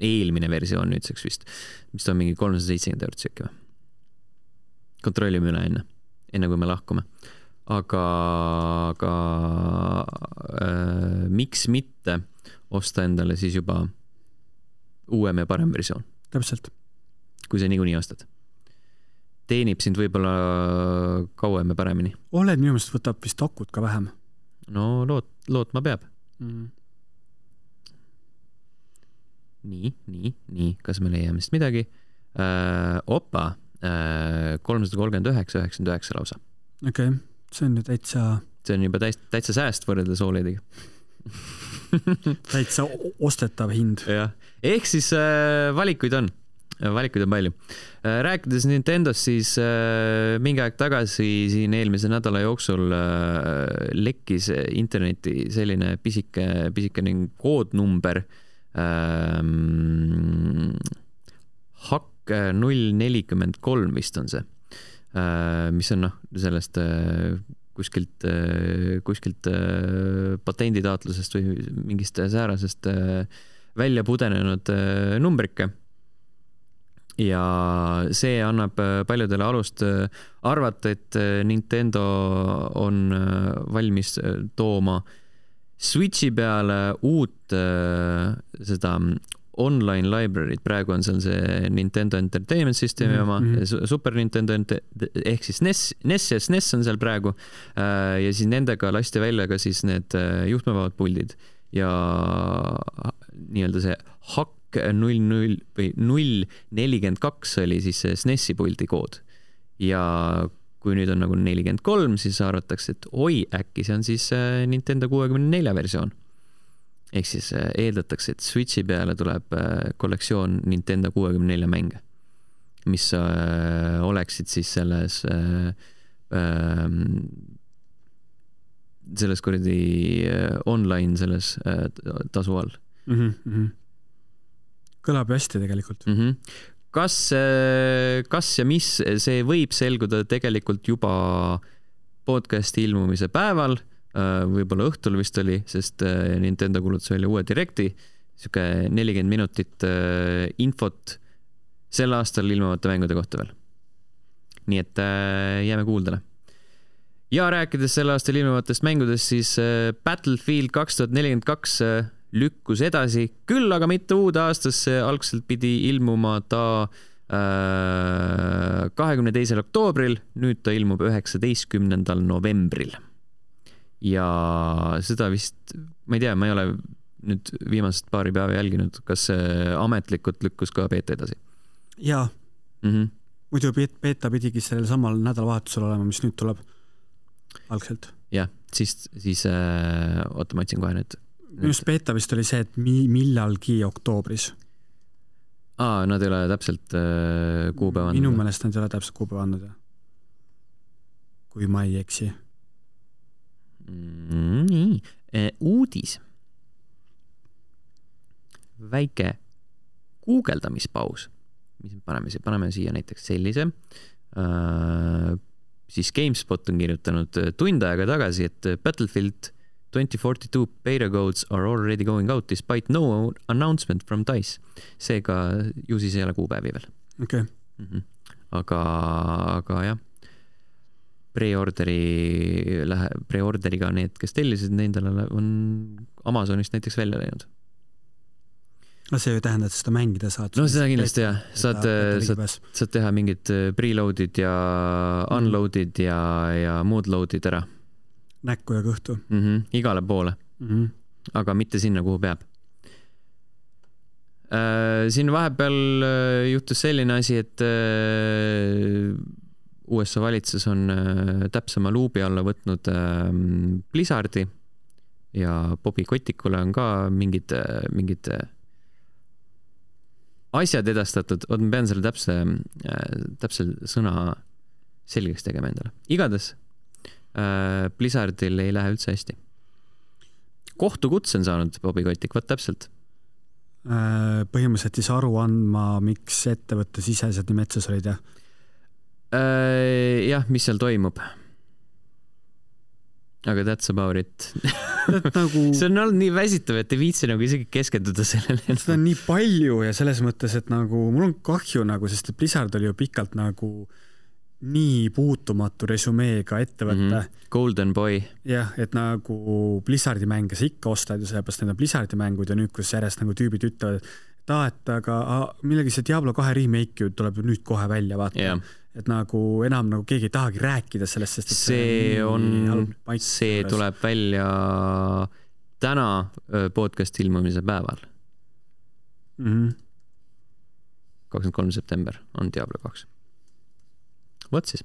eelmine versioon nüüdseks vist, mis on mingi 370 € äkki või? kontrollime üle enne kui me lahkume. Aga miks mitte osta endale siis juba uuem ja parem versioon? Täpselt. Kui sa niikuinii ostad. Teenib sind võib-olla kauem ja paremini. Oled minu meelest võtab vist akut ka vähem. No lootma peab. Nii. Kas me leiame vist midagi? Opa, 339,99 lausa. Okei, see on ju täitsa... See on juba täitsa sääst võrreldes OLED-iga. Täitsa ostetav hind. Ja. Ehk siis valikuid on palju. Rääkides Nintendost, siis mingi aeg tagasi siin eelmise nädala jooksul lekkis interneti selline pisike koodnumber HAK 043 vist on see, mis on sellest kuskilt patenditaatlusest või mingist säärasest välja pudenenud numbrike. Ja see annab paljudele alust arvata, et Nintendo on valmis tooma Switchi peale uut seda online library't. Praegu on seal see Nintendo Entertainment Systemi oma, Super Nintendo ehk siis NES ja SNES on seal praegu ja siis nendega lasti välja ka siis need juhtmevabad puldid ja nii-öelda see HAK 042 oli siis see SNESi puldi kood ja kui nüüd on nagu 43, siis arvatakse, et oi, äkki see on siis Nintendo 64 versioon. Ehk siis eeldatakse, et Switchi peale tuleb kollektsioon Nintendo 64 mänge, mis oleksid siis selles kuradi online selles tasu all. Kõlab hästi tegelikult. Kas ja mis see võib selguda tegelikult juba podcasti ilmumise päeval, võib-olla õhtul vist oli, sest Nintendo kuulutas välja uue direkti, siuke 40 minutit infot sel aastal ilmuvate mängude kohta veel. Nii et jääme kuuldele. Ja rääkides sel aastal ilmuvatest mängudest, siis Battlefield 2042 lükkus edasi, küll aga mitte uude aastasse, algselt pidi ilmuma ta 22. oktoobril, nüüd ta ilmub 19. novembril. Ja seda vist, ma ei tea, ma ei ole nüüd viimased paari päeva jälginud, kas ametlikult lükkus ka beeta edasi? Jaa. Muidu beeta pidigi sellel samal nädalavahetusel olema, mis nüüd tuleb algselt. Jah, siis oota, ma otsin kohe nüüd. Just beeta vist oli see, et millalgi oktoobris. Nad ei ole täpselt kuupäeva andnud. Minu meelest nad ei ole täpselt kuupäeva andnud. Kui ma ei eksi. Nii, uudis. Väike guugeldamispaus. Mis paneme siia näiteks sellise. Siis GameSpot on kirjutanud tund aega tagasi, et Battlefield 2042 beta codes are already going out despite no announcement from DICE. Seega ju siis ei ole kuupäevi veel. Okay. Aga jah, preorderiga need, kes tellisid, nendele on Amazonist näiteks välja läinud. No see ju tähendab, et seda mängida saad. No seda kindlasti jah. Saad teha mingid preloadid ja unloadid ja muud loadid ära. Näkku ja kõhtu. Igale poole. Aga mitte sinna, kuhu peab. Siin vahepeal juhtus selline asi, et USA valitsus on täpsema luubi alla võtnud Blizzardi ja Bobby Kotikule on ka mingid asjad edastatud. Ma pean selle täpse sõna selgeks tegema endale. Igades Blizzardil ei lähe üldse hästi. Kohtukutse on saanud Bobby Kotik, võt täpselt. Põhimõtteliselt siis aru andma, miks ettevõtte sisesed nii metsas olid, jah? Jah, mis seal toimub. Aga that's about it. See on olnud nii väsitav, et ei viitsi nagu isegi keskenduda sellele. Seda on nii palju ja selles mõttes, et nagu mul on kahju, nagu, sest Blizzard oli ju pikalt nagu nii puutumatu resümeega ettevõte. Golden Boy. Jah, et nagu Blizzardi mänge sa ikka ostad ja sellepärast need on Blizzardi mängud ja nüüd, kus järjest nagu tüübid ütlevad, et aga millegi see Diablo 2 remake tuleb nüüd kohe välja, vaata. Et nagu enam nagu keegi ei tahagi rääkida sellest, sest see tuleb välja täna podcast ilmumise päeval. 23. september on Diablo 2. Võt siis.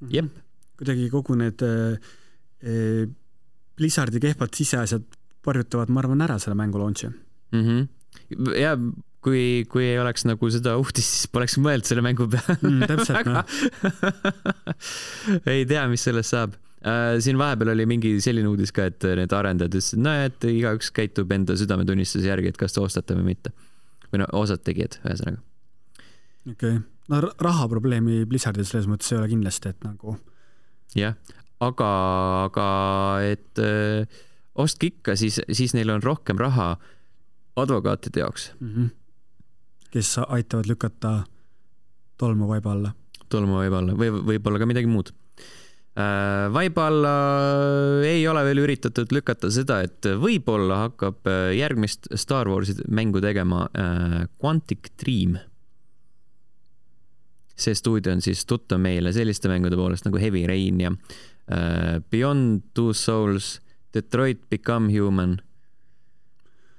Jep. Kuidagi kogu need Blizzardi kehvad siseasjad varjutavad, ma arvan, ära selle mängu launchi. Ja kui ei oleks nagu seda uudist, siis poleks mõeld selle mängu peale. Täpselt, no. Ei tea, mis sellest saab. Siin vahepeal oli mingi selline uudis ka, et need arendajad ütlesid, et igaüks käitub enda südametunnistuse järgi, et kas te ostate või mitte. Või no osad tegijad, ühesõnaga. Okei. No rahaprobleemi Blizzardil selles mõttes ei ole kindlasti, et nagu... Jah, aga et ostke ikka, siis neil on rohkem raha advokaatide jaoks. Kes aitavad lükata tolmu vaiba alla. Tolmu vaiba alla, või võib-olla ka midagi muud. Vaiba alla ei ole veel üritatud lükata seda, et võib-olla hakkab järgmist Star Warsi mängu tegema Quantic Dream. See stuudio on siis tuttav meile selliste mängude poolest nagu Heavy Rain ja Beyond Two Souls, Detroit Become Human,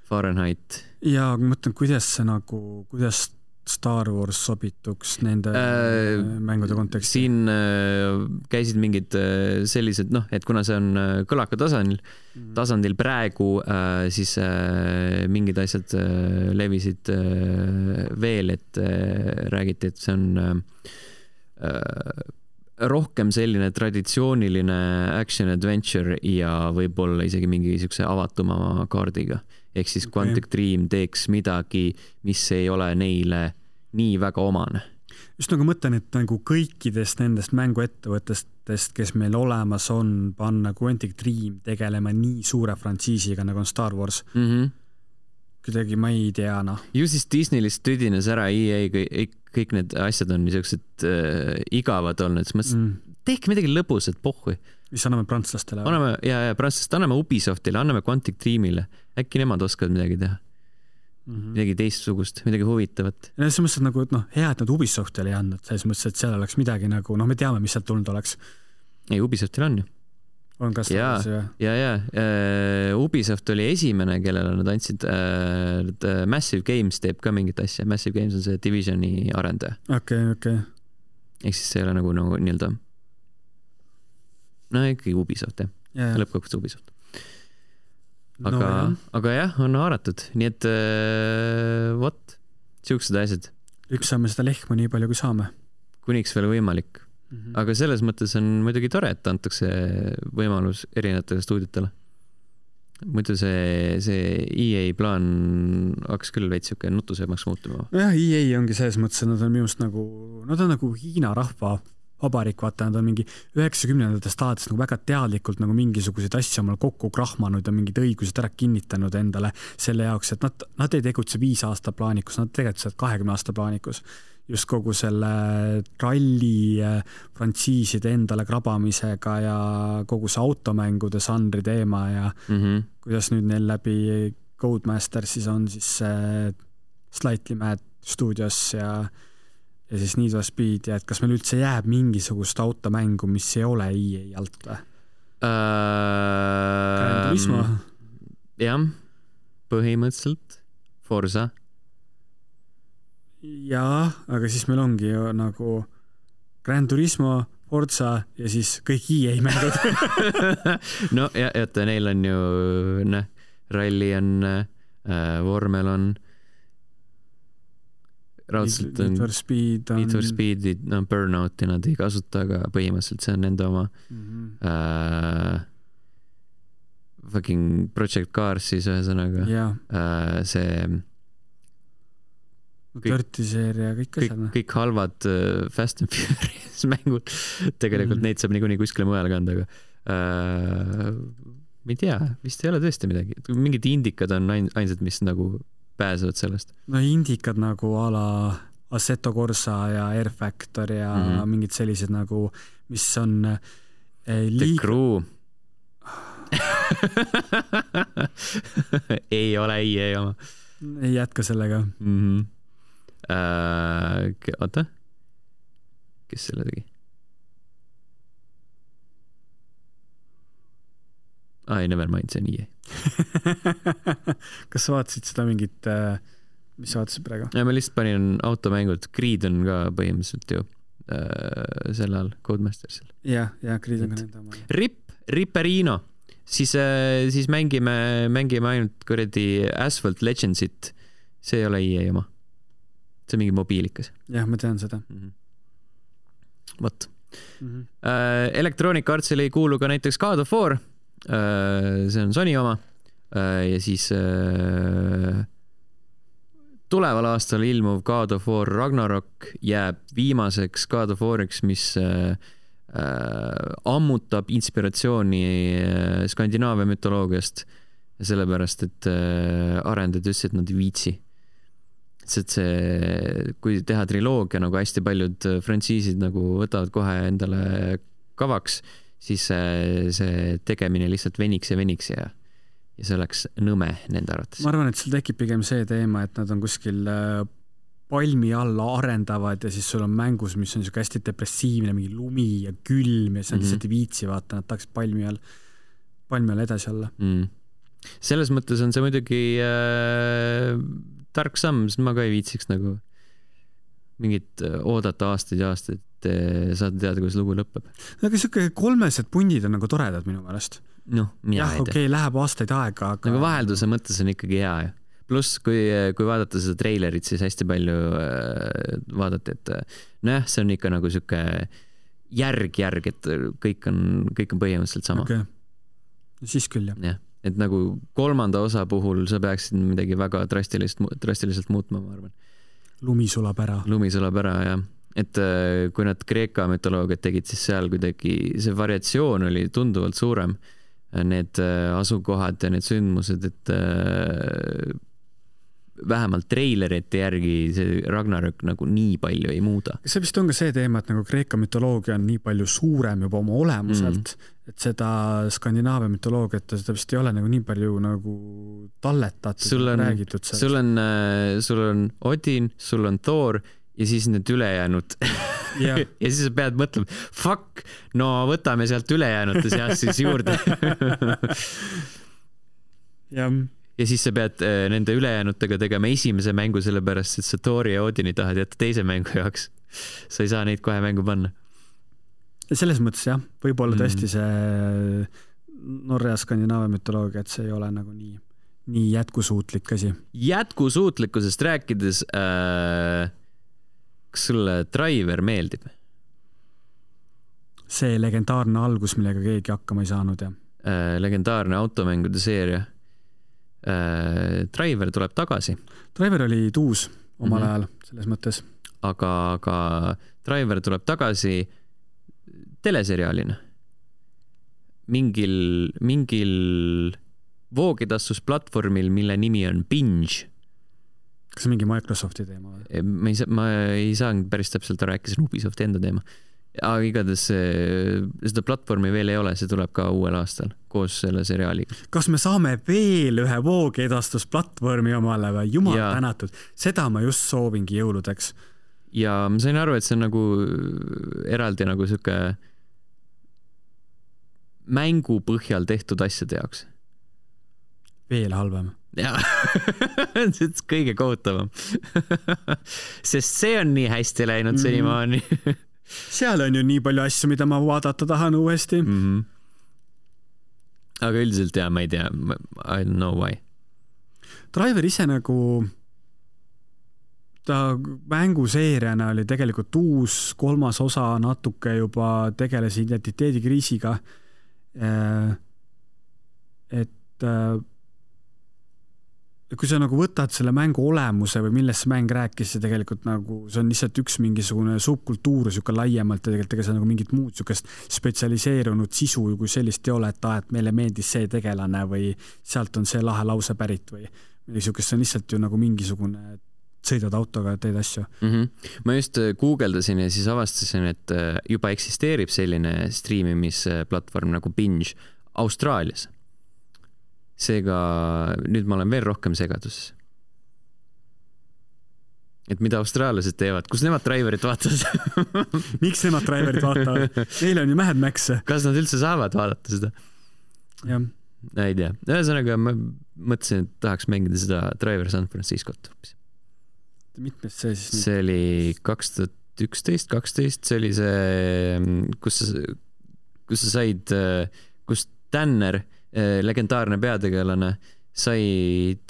Fahrenheit. Ja ma mõtlen, kuidas Star Wars sobituks nende mängude konteksti? Siin käisid mingid sellised, et kuna see on kõlaka tasandil praegu, siis mingid asjad levisid veel, et räägiti, et see on rohkem selline traditsiooniline action adventure ja võib-olla isegi mingi niisuguse avatuma kaardiga. Ehk siis Quantic Dream teeks midagi, mis ei ole neile nii väga omane. Just nagu mõtlen, et nagu kõikidest nendest mänguettevõttest, kes meil olemas on, panna Quantic Dream tegelema nii suure frantsiisiga nagu on Star Wars. Kuidagi ma ei tea, Ju siis Disneylist tüdines ära EA, kõik need asjad on niisugused igavad olnud, siis mõtlesin, tehke midagi lõbusat, pohhui. Mis anname prantslastele? Anname Ubisoftile, anname Quantic Dreamile. Äkki nemad oskavad midagi teha. Midagi teistsugust, midagi huvitavat. Ja selles mõttes, et nagu, hea, et nad Ubisoftile ei andnud, selles mõttes, et seal oleks midagi nagu, me teame, mis sealt tulnud oleks. Ei, Ubisoftil on ju. On kas tagasi, ja. Ubisoft oli esimene, kellele nad andsid Massive Games teeb ka mingit asja. Massive Games on see Divisioni arendaja. Okei. Ehk siis see ei ole nagu nii-öelda ikkagi Ubisoft, jah. Lõppkokkuvõttes Ubisoft. Aga jah, on haaratud. Nii et siuksed asjad. Lüksame seda lehma nii palju, kui saame. Kuniks veel võimalik. Aga selles mõttes on muidugi tore, et antakse võimalus erinevatele stuudiotele. Muidu see EA plaan hakkas küll veits siuke nutusemaks muutuma. Jah, EA ongi selles mõttes, et nad on minust nagu Hiina rahva vabariik, vaata, nad on mingi 90-ndatest alates nagu väga teadlikult nagu mingisuguseid asju omal kokku krahmanud ja mingid õigused ära kinnitanud endale selle jaoks, et nad ei tegutse 5 aasta plaanikus, nad tegutsevad 20 aasta plaanikus. Just kogu selle ralli frantsiiside endale krabamisega ja kogu see automängude žanri teema ja kuidas nüüd neil läbi Codemaster siis on siis Slightly Mad Studios ja siis Need for Speed ja et kas meil üldse jääb mingisugust automängu, mis ei ole EA alt või? Gran Turismo? Jah, põhimõtteliselt Forza. Jaa, aga siis meil ongi ju nagu Gran Turismo, Forza ja siis kõik EA mängud. No ja, et neil on ju ralli on, vormel on raudselt on Need for Speed, Burnouti nad ei kasuta, aga põhimõtteliselt see on nende oma fucking Project Cars siis ühesõnaga see Dirty-seeria, kõik halvad Fast and Furious mängud tegelikult neid saab niikuinii kuskile mujale kanda, aga ma ei tea, vist ei ole tõesti midagi, mingid indikad on ainsad, mis nagu pääsevad sellest. No indikad nagu ala Assetto Corsa ja Air Factor ja mingid sellised nagu, mis on The Crew. ei ole EA oma. Ei jätka sellega. Oota. Kes selle tegi? Never mind, see on EA. Kas sa vaatasid seda mingit, mis sa vaatasid praegu? Ja ma lihtsalt panin automängud. Creed on ka põhimõtteliselt ju selle all, Codemastersil. Ja Creed on ka nende oma. Ripperino. Siis mängime ainult kuradi Asphalt Legendsit. See ei ole EA oma. See on mingi mobiilikas. Jah, ma tean seda. Vot. Electronic Artsile ei kuulu ka näiteks God of War. See on Sony oma. Ja siis tuleval aastal ilmuv God of War Ragnarok jääb viimaseks God of Wariks, mis ammutab inspiratsiooni Skandinaavia mütoloogiast, sellepärast, et arendajad ütlesid, et nad ei viitsi. Sest see, kui teha triloogia, nagu hästi paljud frantsiisid nagu võtavad kohe endale kavaks, siis see tegemine lihtsalt veniks ja see oleks nõme nende arvates. Ma arvan, et seal tekib pigem see teema, et nad on kuskil palmi alla arendavad ja siis sul on mängus, mis on niisugune hästi depressiivne, mingi lumi ja külm ja see lihtsalt ei viitsi vaata, nad tahaks palmi all edasi olla. Selles mõttes on see muidugi tark samm, sest ma ka ei viitsiks nagu mingit oodata aastaid ja aastaid, et saad teada, kuidas lugu lõpeb. Aga niisugune 3 pundid on nagu toredad minu meelest. Noh, mina ei tea. Okei, läheb aastaid aega, aga... Nagu vahelduse mõttes on ikkagi hea ju. Pluss, kui vaadata seda treilerit, siis hästi palju vaadati, et see on ikka nagu siuke järg, et kõik on põhimõtteliselt sama. Okay. Siis küll, jah. Et nagu 3. osa puhul sa peaksid midagi väga drastiliselt muutma, ma arvan. Lumi sulab ära, jah. Et kui nad Kreeka mütoloogiat tegid, siis seal kuidagi see variatsioon oli tunduvalt suurem. Need asukohad ja need sündmused, et vähemalt treilerite järgi see Ragnarök nagu nii palju ei muuda. See vist on ka see teema, et nagu Kreeka mütoloogia on nii palju suurem juba oma olemuselt, et seda Skandinaavia mütoloogiat, seda vist ei ole nagu nii palju nagu talletatud, räägitud sellest. Sul on Odin, sul on Thor ja siis need ülejäänud. Ja siis sa pead mõtlema, fuck, no võtame sealt ülejäänute seast siis juurde. Ja siis sa pead nende ülejäänutega tegema esimese mängu, sellepärast, et sa Thori ja Odini tahad jätta teise mängu jaoks. Sa ei saa neid kohe mängu panna. Selles mõttes jah, võib-olla tõesti see Norra ja Skandinaavia mütoloogia, et see ei ole nagu nii jätkusuutlik asi. Jätkusuutlikkusest rääkides, kas sulle Driver meeldib? See legendaarne algus, millega keegi hakkama ei saanud, jah. Legendaarne automängude seeria. Driver tuleb tagasi. Driver oli tuus omal ajal, selles mõttes. Aga Driver tuleb tagasi teleseriaalina. Mingil voogedastusplatvormil, mille nimi on Binge. Kas see mingi Microsofti teema? Ma ei saanud päris täpselt aru, äkki see on Ubisofti enda teema. Aga igatahes seda platvormi veel ei ole, see tuleb ka uuel aastal koos selle seriaaliga. Kas me saame veel ühe voogedastusplatvormi omale või? Jumal tänatud. Seda ma just soovingi jõuludeks. Ja ma sain aru, et see on nagu eraldi nagu siuke mängu põhjal tehtud asjade jaoks. Veel halvem. Jaa, see on kõige kohutavam. Sest see on nii hästi läinud senimaani. Seal on ju nii palju asju, mida ma vaadata tahan uuesti. Aga üldiselt jah, ma ei tea. I don't know why. Driver ise nagu ta mänguseeriana oli tegelikult uus, 3. osa natuke juba tegeles identiteedikriisiga. Et kui sa nagu võtad selle mängu olemuse või millest see mäng rääkis, see tegelikult nagu, see on lihtsalt üks mingisugune subkultuur siuke laiemalt ja tegelikult ega see nagu mingit muud siukest spetsialiseerunud sisu, kui sellist ei ole, et meile meeldis see tegelane või sealt on see lahe lause pärit või siukest, see on lihtsalt ju nagu mingisugune sõidad autoga ja teed asju. Ma just guugeldasin ja siis avastasin, et juba eksisteerib selline striimimisplatvorm nagu Binge Austraalias. Seega nüüd ma olen veel rohkem segaduses. Et mida austraallased teevad, kus nemad Driverit vaatavad? Miks nemad Driverit vaatavad? Neil on ju Mad Max. Kas nad üldse saavad vaadata seda? Jah. Ei tea. Ühesõnaga ma mõtlesin, et tahaks mängida seda Driver San Franciscot. Mitmes see siis? See oli 2011-12, see oli see, kus sa said, kus Tanner, legendaarne peategelane, sai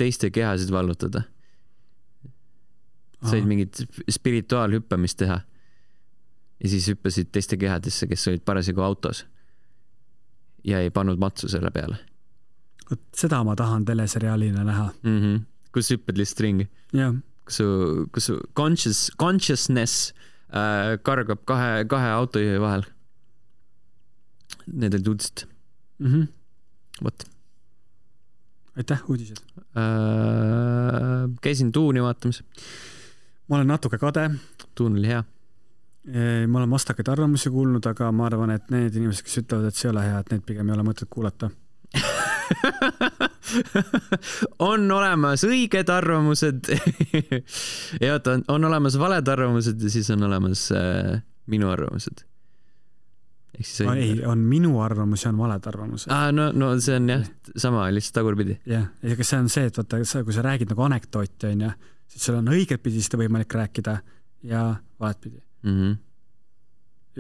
teiste kehasid vallutada. Said mingit spirituaalhüppamist teha ja siis hüppasid teiste kehadesse, kes olid parasjagu autos ja ei pannud matsu selle peale. Seda ma tahan teleseriaalina näha. Kus hüppad lihtsalt ringi. Jah. Kus su consciousness kargab kahe autojuhi vahel. Need olid uudised. Võt. Aitäh, uudised. Käisin Tuuni vaatamas. Ma olen natuke kade. Tuun oli hea. Ma olen vastakaid arvamusi kuulnud, aga ma arvan, et need inimesed, kes ütlevad, et see ei ole hea, et need pigem ei ole mõtet kuulata. On olemas õiged arvamused ja on olemas valed arvamused ja siis on olemas minu arvamused. Ei, on minu arvamus ja on valed arvamused. No see on jah, sama, lihtsalt tagurpidi. Jah, ja see on see, et vaata, kui sa räägid nagu anekdooti, on ja, siis sul on õiget pidi seda võimalik rääkida ja valet pidi.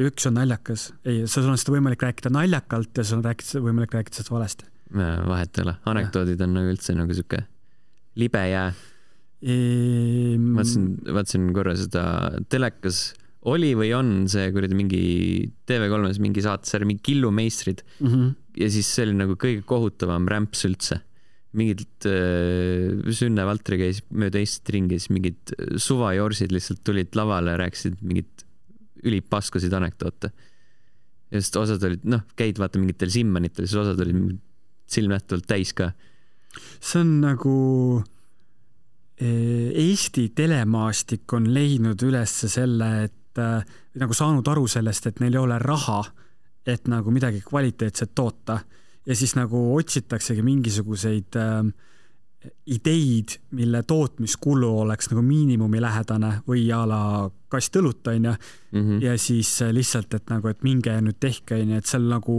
Üks on naljakas. Ei, sul on seda võimalik rääkida naljakalt ja sul on võimalik rääkida seda valesti. Vahet ei ole. Anekdoodid on nagu üldse nagu siuke libe jää. Vaatsin korra seda telekas oli või on see kuradi mingi TV3-s mingi saatesarja, mingi Killumeistrid ja siis see oli nagu kõige kohutavam rämps üldse. Mingid Sünne Valtri käis mööda Eestit ringi, siis mingid suvajorsid lihtsalt tulid lavale ja rääkisid mingid ülipaskasid anekdoote. Ja sest osad olid, käid vaata mingitel simmanitel, siis osad olid silmnähtavalt täis ka. See on nagu Eesti telemaastik on leidnud üles selle, et nagu saanud aru sellest, et neil ei ole raha, et nagu midagi kvaliteetset toota ja siis nagu otsitaksegi mingisuguseid ideid, mille tootmiskulu oleks nagu miinimumi lähedane või ala kast õlut, on ja siis lihtsalt, et nagu, et minge nüüd tehke, et seal nagu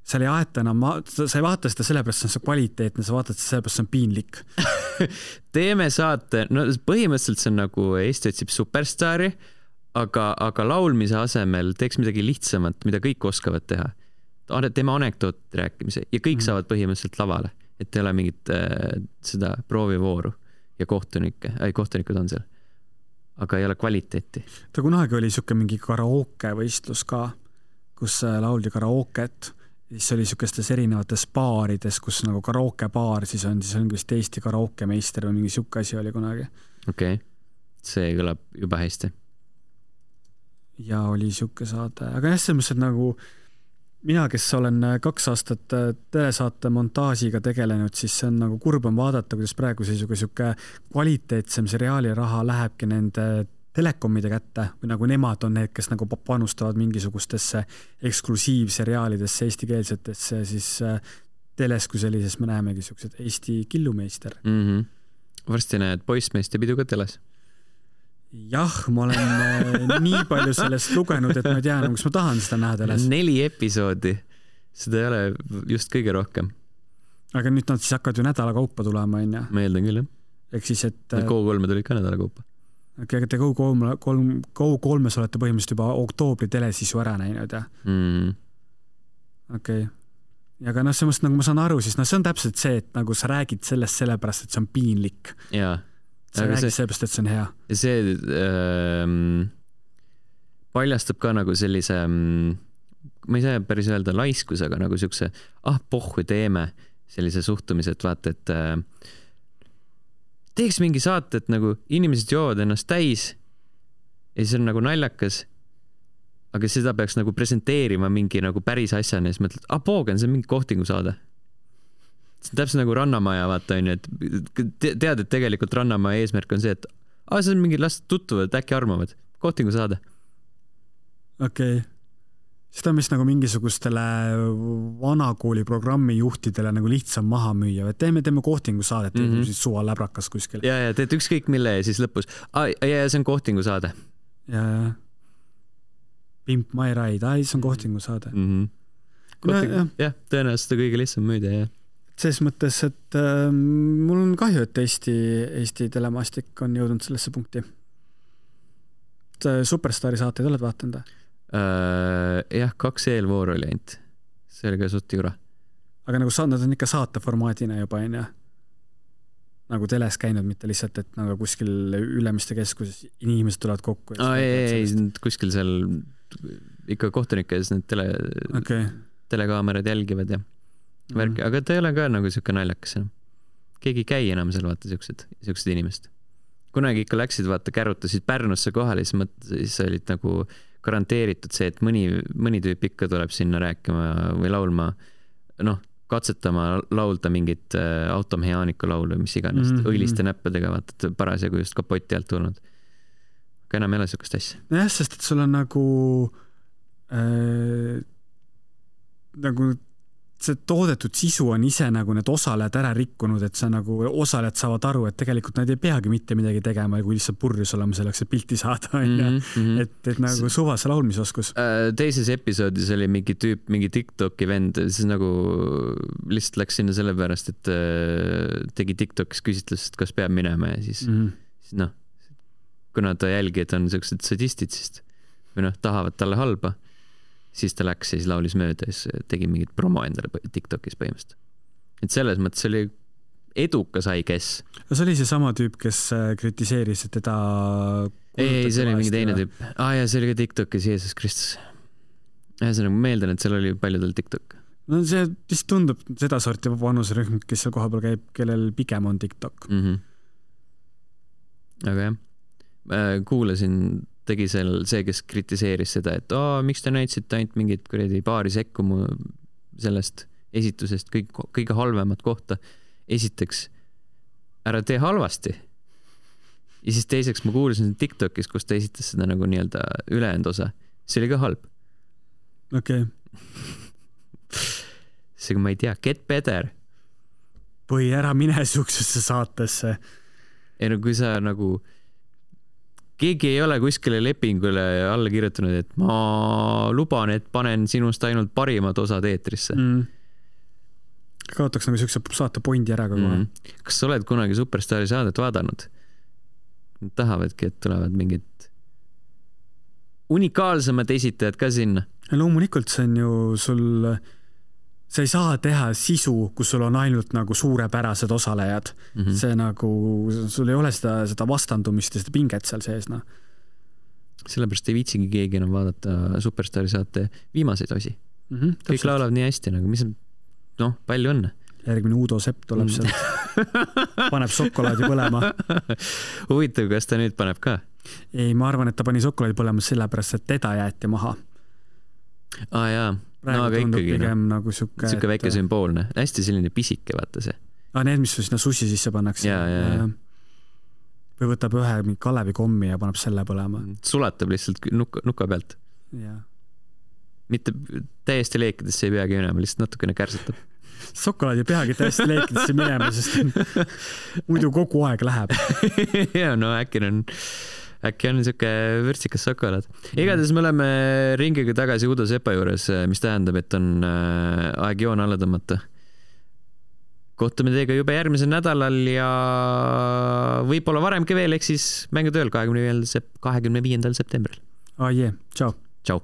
seal ei aeta enam, sa ei vaata seda sellepärast, see on kvaliteetne, sa vaatad seda sellepärast, see on piinlik. Teeme saate, põhimõtteliselt see on nagu Eesti otsib superstaari, aga laulmise asemel teeks midagi lihtsamat, mida kõik oskavad teha. Teeme anekdoot rääkimise ja kõik saavad põhimõtteliselt lavale, et ei ole mingit seda proovivooru ja kohtunikud on seal. Aga ei ole kvaliteeti. Ta kunagi oli siuke mingi karaoke võistlus ka, kus lauldi karaoket. Siis oli siukestes erinevates baarides, kus nagu karaoke baar, siis on vist Eesti karaoke meister või mingi siuke asi oli kunagi. Okei. See kõlab juba hästi. Ja oli siuke saade. Aga jah, selles mõttes, nagu mina, kes olen 2 aastat telesaate montaažiga tegelenud, siis see on nagu kurb on vaadata, kuidas praegu siuke kvaliteetsem seriaali raha lähebki nende telekomide kätte või nagu nemad on need, kes nagu panustavad mingisugustesse eksklusiivseriaalidesse, eestikeelsetesse, siis teles kui sellises me näemegi siuksed Eesti Killumeister. Varsti näed Poissmeest ja pidu ka teles. Jah, ma olen nii palju sellest lugenud, et ma ei tea, kas ma tahan seda näha teles. 4 episoodi. Seda ei ole just kõige rohkem. Aga nüüd nad siis hakkavad ju nädala kaupa tulema, on ja? Ma eeldan küll, jah. Ehk siis, et... Go3 tulid ka nädala kaupa. Aga te Go3-s olete põhimõtteliselt juba oktoobri teles siis ju ära näinud, jah? Okei. Ja aga sellest, nagu ma saan aru, siis see on täpselt see, et nagu sa räägid sellest sellepärast, et see on piinlik. Jaa. Sa räägid sellepärast, et see on hea. Ja see paljastab ka nagu sellise, ma ei saa päris öelda laiskus, aga nagu siukse, pohhu teeme sellise suhtumise, et vaata, et teeks mingi saate, et nagu inimesed joovad ennast täis ja siis on nagu naljakas, aga seda peaks nagu presenteerima mingi nagu päris asjana ja siis mõtled, poogen, see on mingi kohtingu saade. See on täpselt nagu Rannamaja, vaata, on ju, et tead, et tegelikult Rannamaja eesmärk on see, et see on mingi las tutvuvad, äkki armavad. Kohtingu saade. Okei. Seda on vist nagu mingisugustele vanakooli programmi juhtidele nagu lihtsam maha müüa, et teeme kohtingu saadet, siis suva läbrakas kuskil. Ja teed ükskõik mille ja siis lõpus. Ja see on kohtingu saade. Ja. Pimp My Ride, see on kohtingu saade. Jah, tõenäoliselt kõige lihtsam müüda, jah. Selles mõttes, et mul on kahju, et Eesti telemastik on jõudnud sellesse punkti. Superstaari saateid oled vaatanud? Jah, 2 eelvoor oli ainult. See oli ka suht jura. Aga nagu nad on ikka saateformaadina juba, on ja? Nagu teles käinud, mitte lihtsalt, et nagu kuskil Ülemiste keskuses inimesed tulevad kokku. Ei, kuskil seal ikka kohtunikes need telekaamerad jälgivad ja värki, aga ta ei ole ka nagu siuke naljakas enam. Keegi ei käi enam seal, vaata, siuksed inimesed. Kunagi ikka läksid, vaata, kärutasid Pärnusse kohale, siis olid nagu garanteeritud see, et mõni tüüp ikka tuleb sinna rääkima või laulma, katsetama laulda mingit automehaaniku laulu või mis iganes, õiliste näppedega, vaata, parasjagu just kapoti alt tulnud. Aga enam ei ole siukest asja. Jah, sest et sul on nagu see toodetud sisu on ise nagu need osalejad ära rikkunud, et see nagu osalejad saavad aru, et tegelikult nad ei peagi mitte midagi tegema, kui lihtsalt purjus olema selleks, et pilti saada. Et nagu suvase laulmisoskus. Teises episoodis oli mingi tüüp, mingi TikToki vend, siis nagu lihtsalt läks sinna sellepärast, et tegi TikTokis küsitlust, kas peab minema ja siis kuna ta jälgijad on sellised sadistid, siis või tahavad talle halba, siis ta läks ja siis laulis mööda ja siis tegi mingit promo endale TikTokis põhimõtteliselt. Et selles mõttes oli edukas I guess. See oli see sama tüüp, kes kritiseeris, et teda... Ei, see oli mingi teine tüüp. Ja see oli ka TikTokis Jeesus Kristus. See nagu meeldan, et seal oli paljudel TikTok. No see vist tundub seda sorti vanusrühm, kes seal koha peal käib, kellel pigem on TikTok. Aga jah, kuulasin tegi see, kes kritiseeris seda, et miks te näitasite ainult mingit paari sekku mu sellest esitusest kõige halvemat kohta. Esiteks, ära tee halvasti. Ja siis teiseks ma kuulasin TikTokis, kus ta esitas seda nagu nii-öelda ülejäänud osa. See oli ka halb. Okei. Seega ma ei tea, get better. Või ära mine suksesse saatesse. Ei no kui sa nagu keegi ei ole kuskile lepingule alla kirjutanud, et ma luban, et panen sinust ainult parimad osad eetrisse. Kaotaks nagu siukse saate pointi ära kogu. Kas sa oled kunagi Superstaari saadet vaadanud? Nad tahavadki, et tulevad mingid unikaalsemad esitajad ka sinna. Ja loomulikult see on ju sul... Sa ei saa teha sisu, kus sul on ainult nagu suurepärased osalejad. See nagu, sul ei ole seda vastandumist ja seda pinget seal sees. Sellepärast ei viitsigi keegi enam vaadata Superstaari saate viimaseid osi. Kõik laulavad nii hästi, nagu mis on, palju õnne. Järgmine Udo Sepp tuleb sealt. Paneb šokolaadi põlema. Huvitav, kas ta nüüd paneb ka? Ei, ma arvan, et ta pani šokolaadi põlema sellepärast, et teda jäeti maha. Jaa. Praegu aga tundub ikkagi, pigem nagu siuke väike sümboolne. Hästi selline pisike, vaata see. Need, mis sinna sushi sisse pannakse. Ja. Või võtab ühe Kalevi kommi ja paneb selle põlema. Sulatab lihtsalt nuka pealt. Ja. Mitte täiesti leekidesse ei peagi minema, lihtsalt natukene kärsatab. Šokolaad ei peagi täiesti leekidesse minema, sest muidu kogu aeg läheb. Ja, äkki on niisugune vürtsikas šokolaad. Igatahes me oleme ringiga tagasi Udo Sepa juures, mis tähendab, et on aeg joon alla tõmmata. Kohtume teiega juba järgmisel nädalal ja võib-olla varemgi veel, ehk siis mängutööl 25. septembril. Tšau. Tšau.